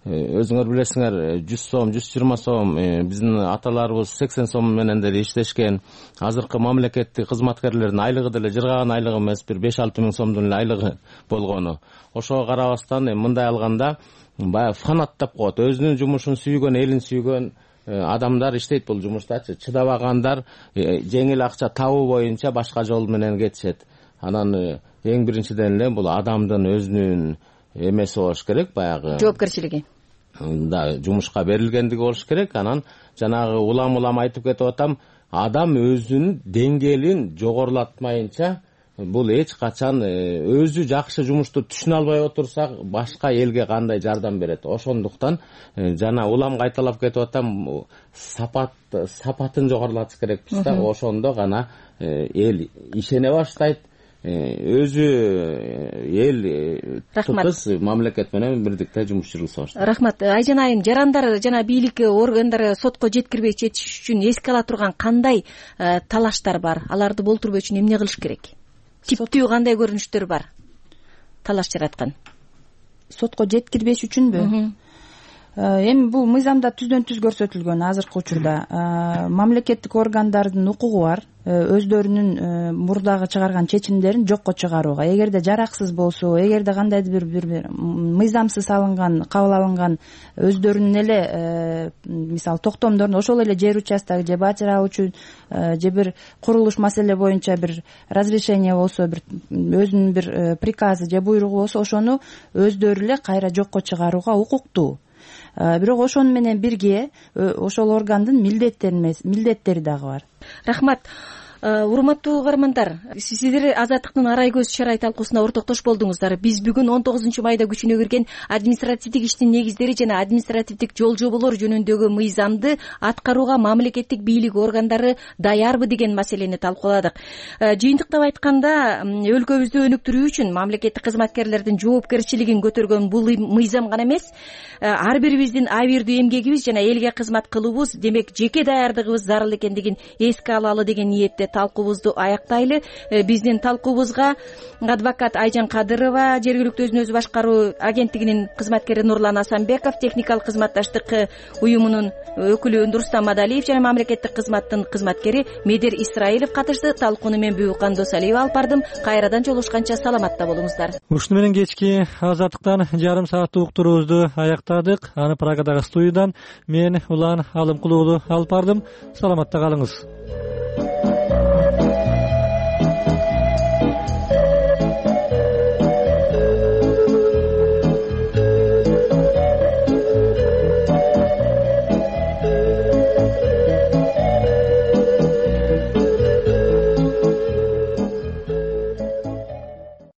өзүңөр билесиңер жүз сом, жүз жыйырма сом, биздин аталарыбыз сексен сом менен деле иштешкен. Азыркы мамлекеттик кызматкерлердин айлыгы деле жыргаган айлыгы эмес, бир беш алты миң сомдун эле айлыгы болгону. Ошого карабастан мындай алганда баягы фанаттап коет. Өзүнүн жумушун сүйгөн, элин сүйгөн адамдар иштейт бул жумуштачы. Чыдабагандар жеңил акча табуу боюнча башка жол менен кетишет. Анан эң биринчиден эле бул адамдын өзүнүн эмеси болуш керек, баягы жоопкерчилиги. Да, жумушка берилгендиги болуш керек. Анан жанагы улам-улам айтып кетип атам, адам өзүнүн деңгээлин жогорулатмайынча бул эч качан өзү жакшы жумушту түшүнө албай отурса башка элге кандай жардам берет. Ошондуктан жана улам кайталап кетип атам, сапат сапатын жогорулатыш керекпиз да. Ошондо гана эл ишене баштайт. Өзү эл тутус мамлекет менен бирдикте жумуш жүргүзө баштайт. Рахмат. Айжан айым, жарандар жана бийлик органдары сотко жеткирбей чечиш үчүн эске ала турган кандай талаштар бар? Аларды болтурбоо үчүн эмне кылыш керек? Типтүү кандай көрүнүштөр бар? Талаш жараткан. Сотко жеткирбеш үчүнбү? Эми бул мыйзамда түздөн түз көрсөтүлгөн. Азыркы учурда мамлекеттик органдардын укугу бар өздөрүнүн мурдагы чыгарган чечимдерин жокко чыгарууга. Эгерде жараксыз болсо, эгерде кандайдыр бир бир мыйзамсыз алынган, кабыл алынган өздөрүнүн эле мисалы токтомдорун, ошол эле жер участок же батир алуу үчүн же бир курулуш маселе боюнча бир разрешение болсо, бир өзүнүн бир приказы же буйругу болсо, ошону өздөрү эле кайра жокко чыгарууга укуктуу. Бирок ошону менен бирге ошол органдын милдеттери милдеттери дагы бар. Рахмат. урматтуу угармандар, сиздер Азаттыктын арай көз чарай талкуусуна ортоктош болдуңуздар. Биз бүгүн он тогузунчу майда күчүнө кирген административдик иштин негиздери жана административдик жол жоболор жөнүндөгү мыйзамды аткарууга мамлекеттик бийлик органдары даярбы деген маселени талкууладык. Жыйынтыктап айтканда, өлкөбүздү өнүктүрүү үчүн мамлекеттик кызматкерлердин жоопкерчилигин көтөргөн бул мыйзам гана эмес, ар бирибиздин абийирдүү эмгегибиз жана элге кызмат кылуубуз, демек жеке даярдыгыбыз зарыл экендигин эске алалы деген ниетте талкуубузду аяктайлы. Биздин талкуубузга адвокат Айжан Кадырова, жергиликтүү өзүн өзү башкаруу агенттигинин кызматкери Нурлан Асанбеков, техникалык кызматташтык уюмунун өкүлү Нурстам Мадалиев жана мамлекеттик кызматтын кызматкери Медер Исраилов катышты. Талкууну мен Бүкан Досалиева алып бардым. Кайрадан жолугушканча саламатта болуңуздар. Ушуну менен кечки Азаттыктан жарым сааттык уктуруубузду аяктадык. Аны Прагадагы студиядан мен Улан Алымкулуулу алып бардым. Саламатта калыңыз.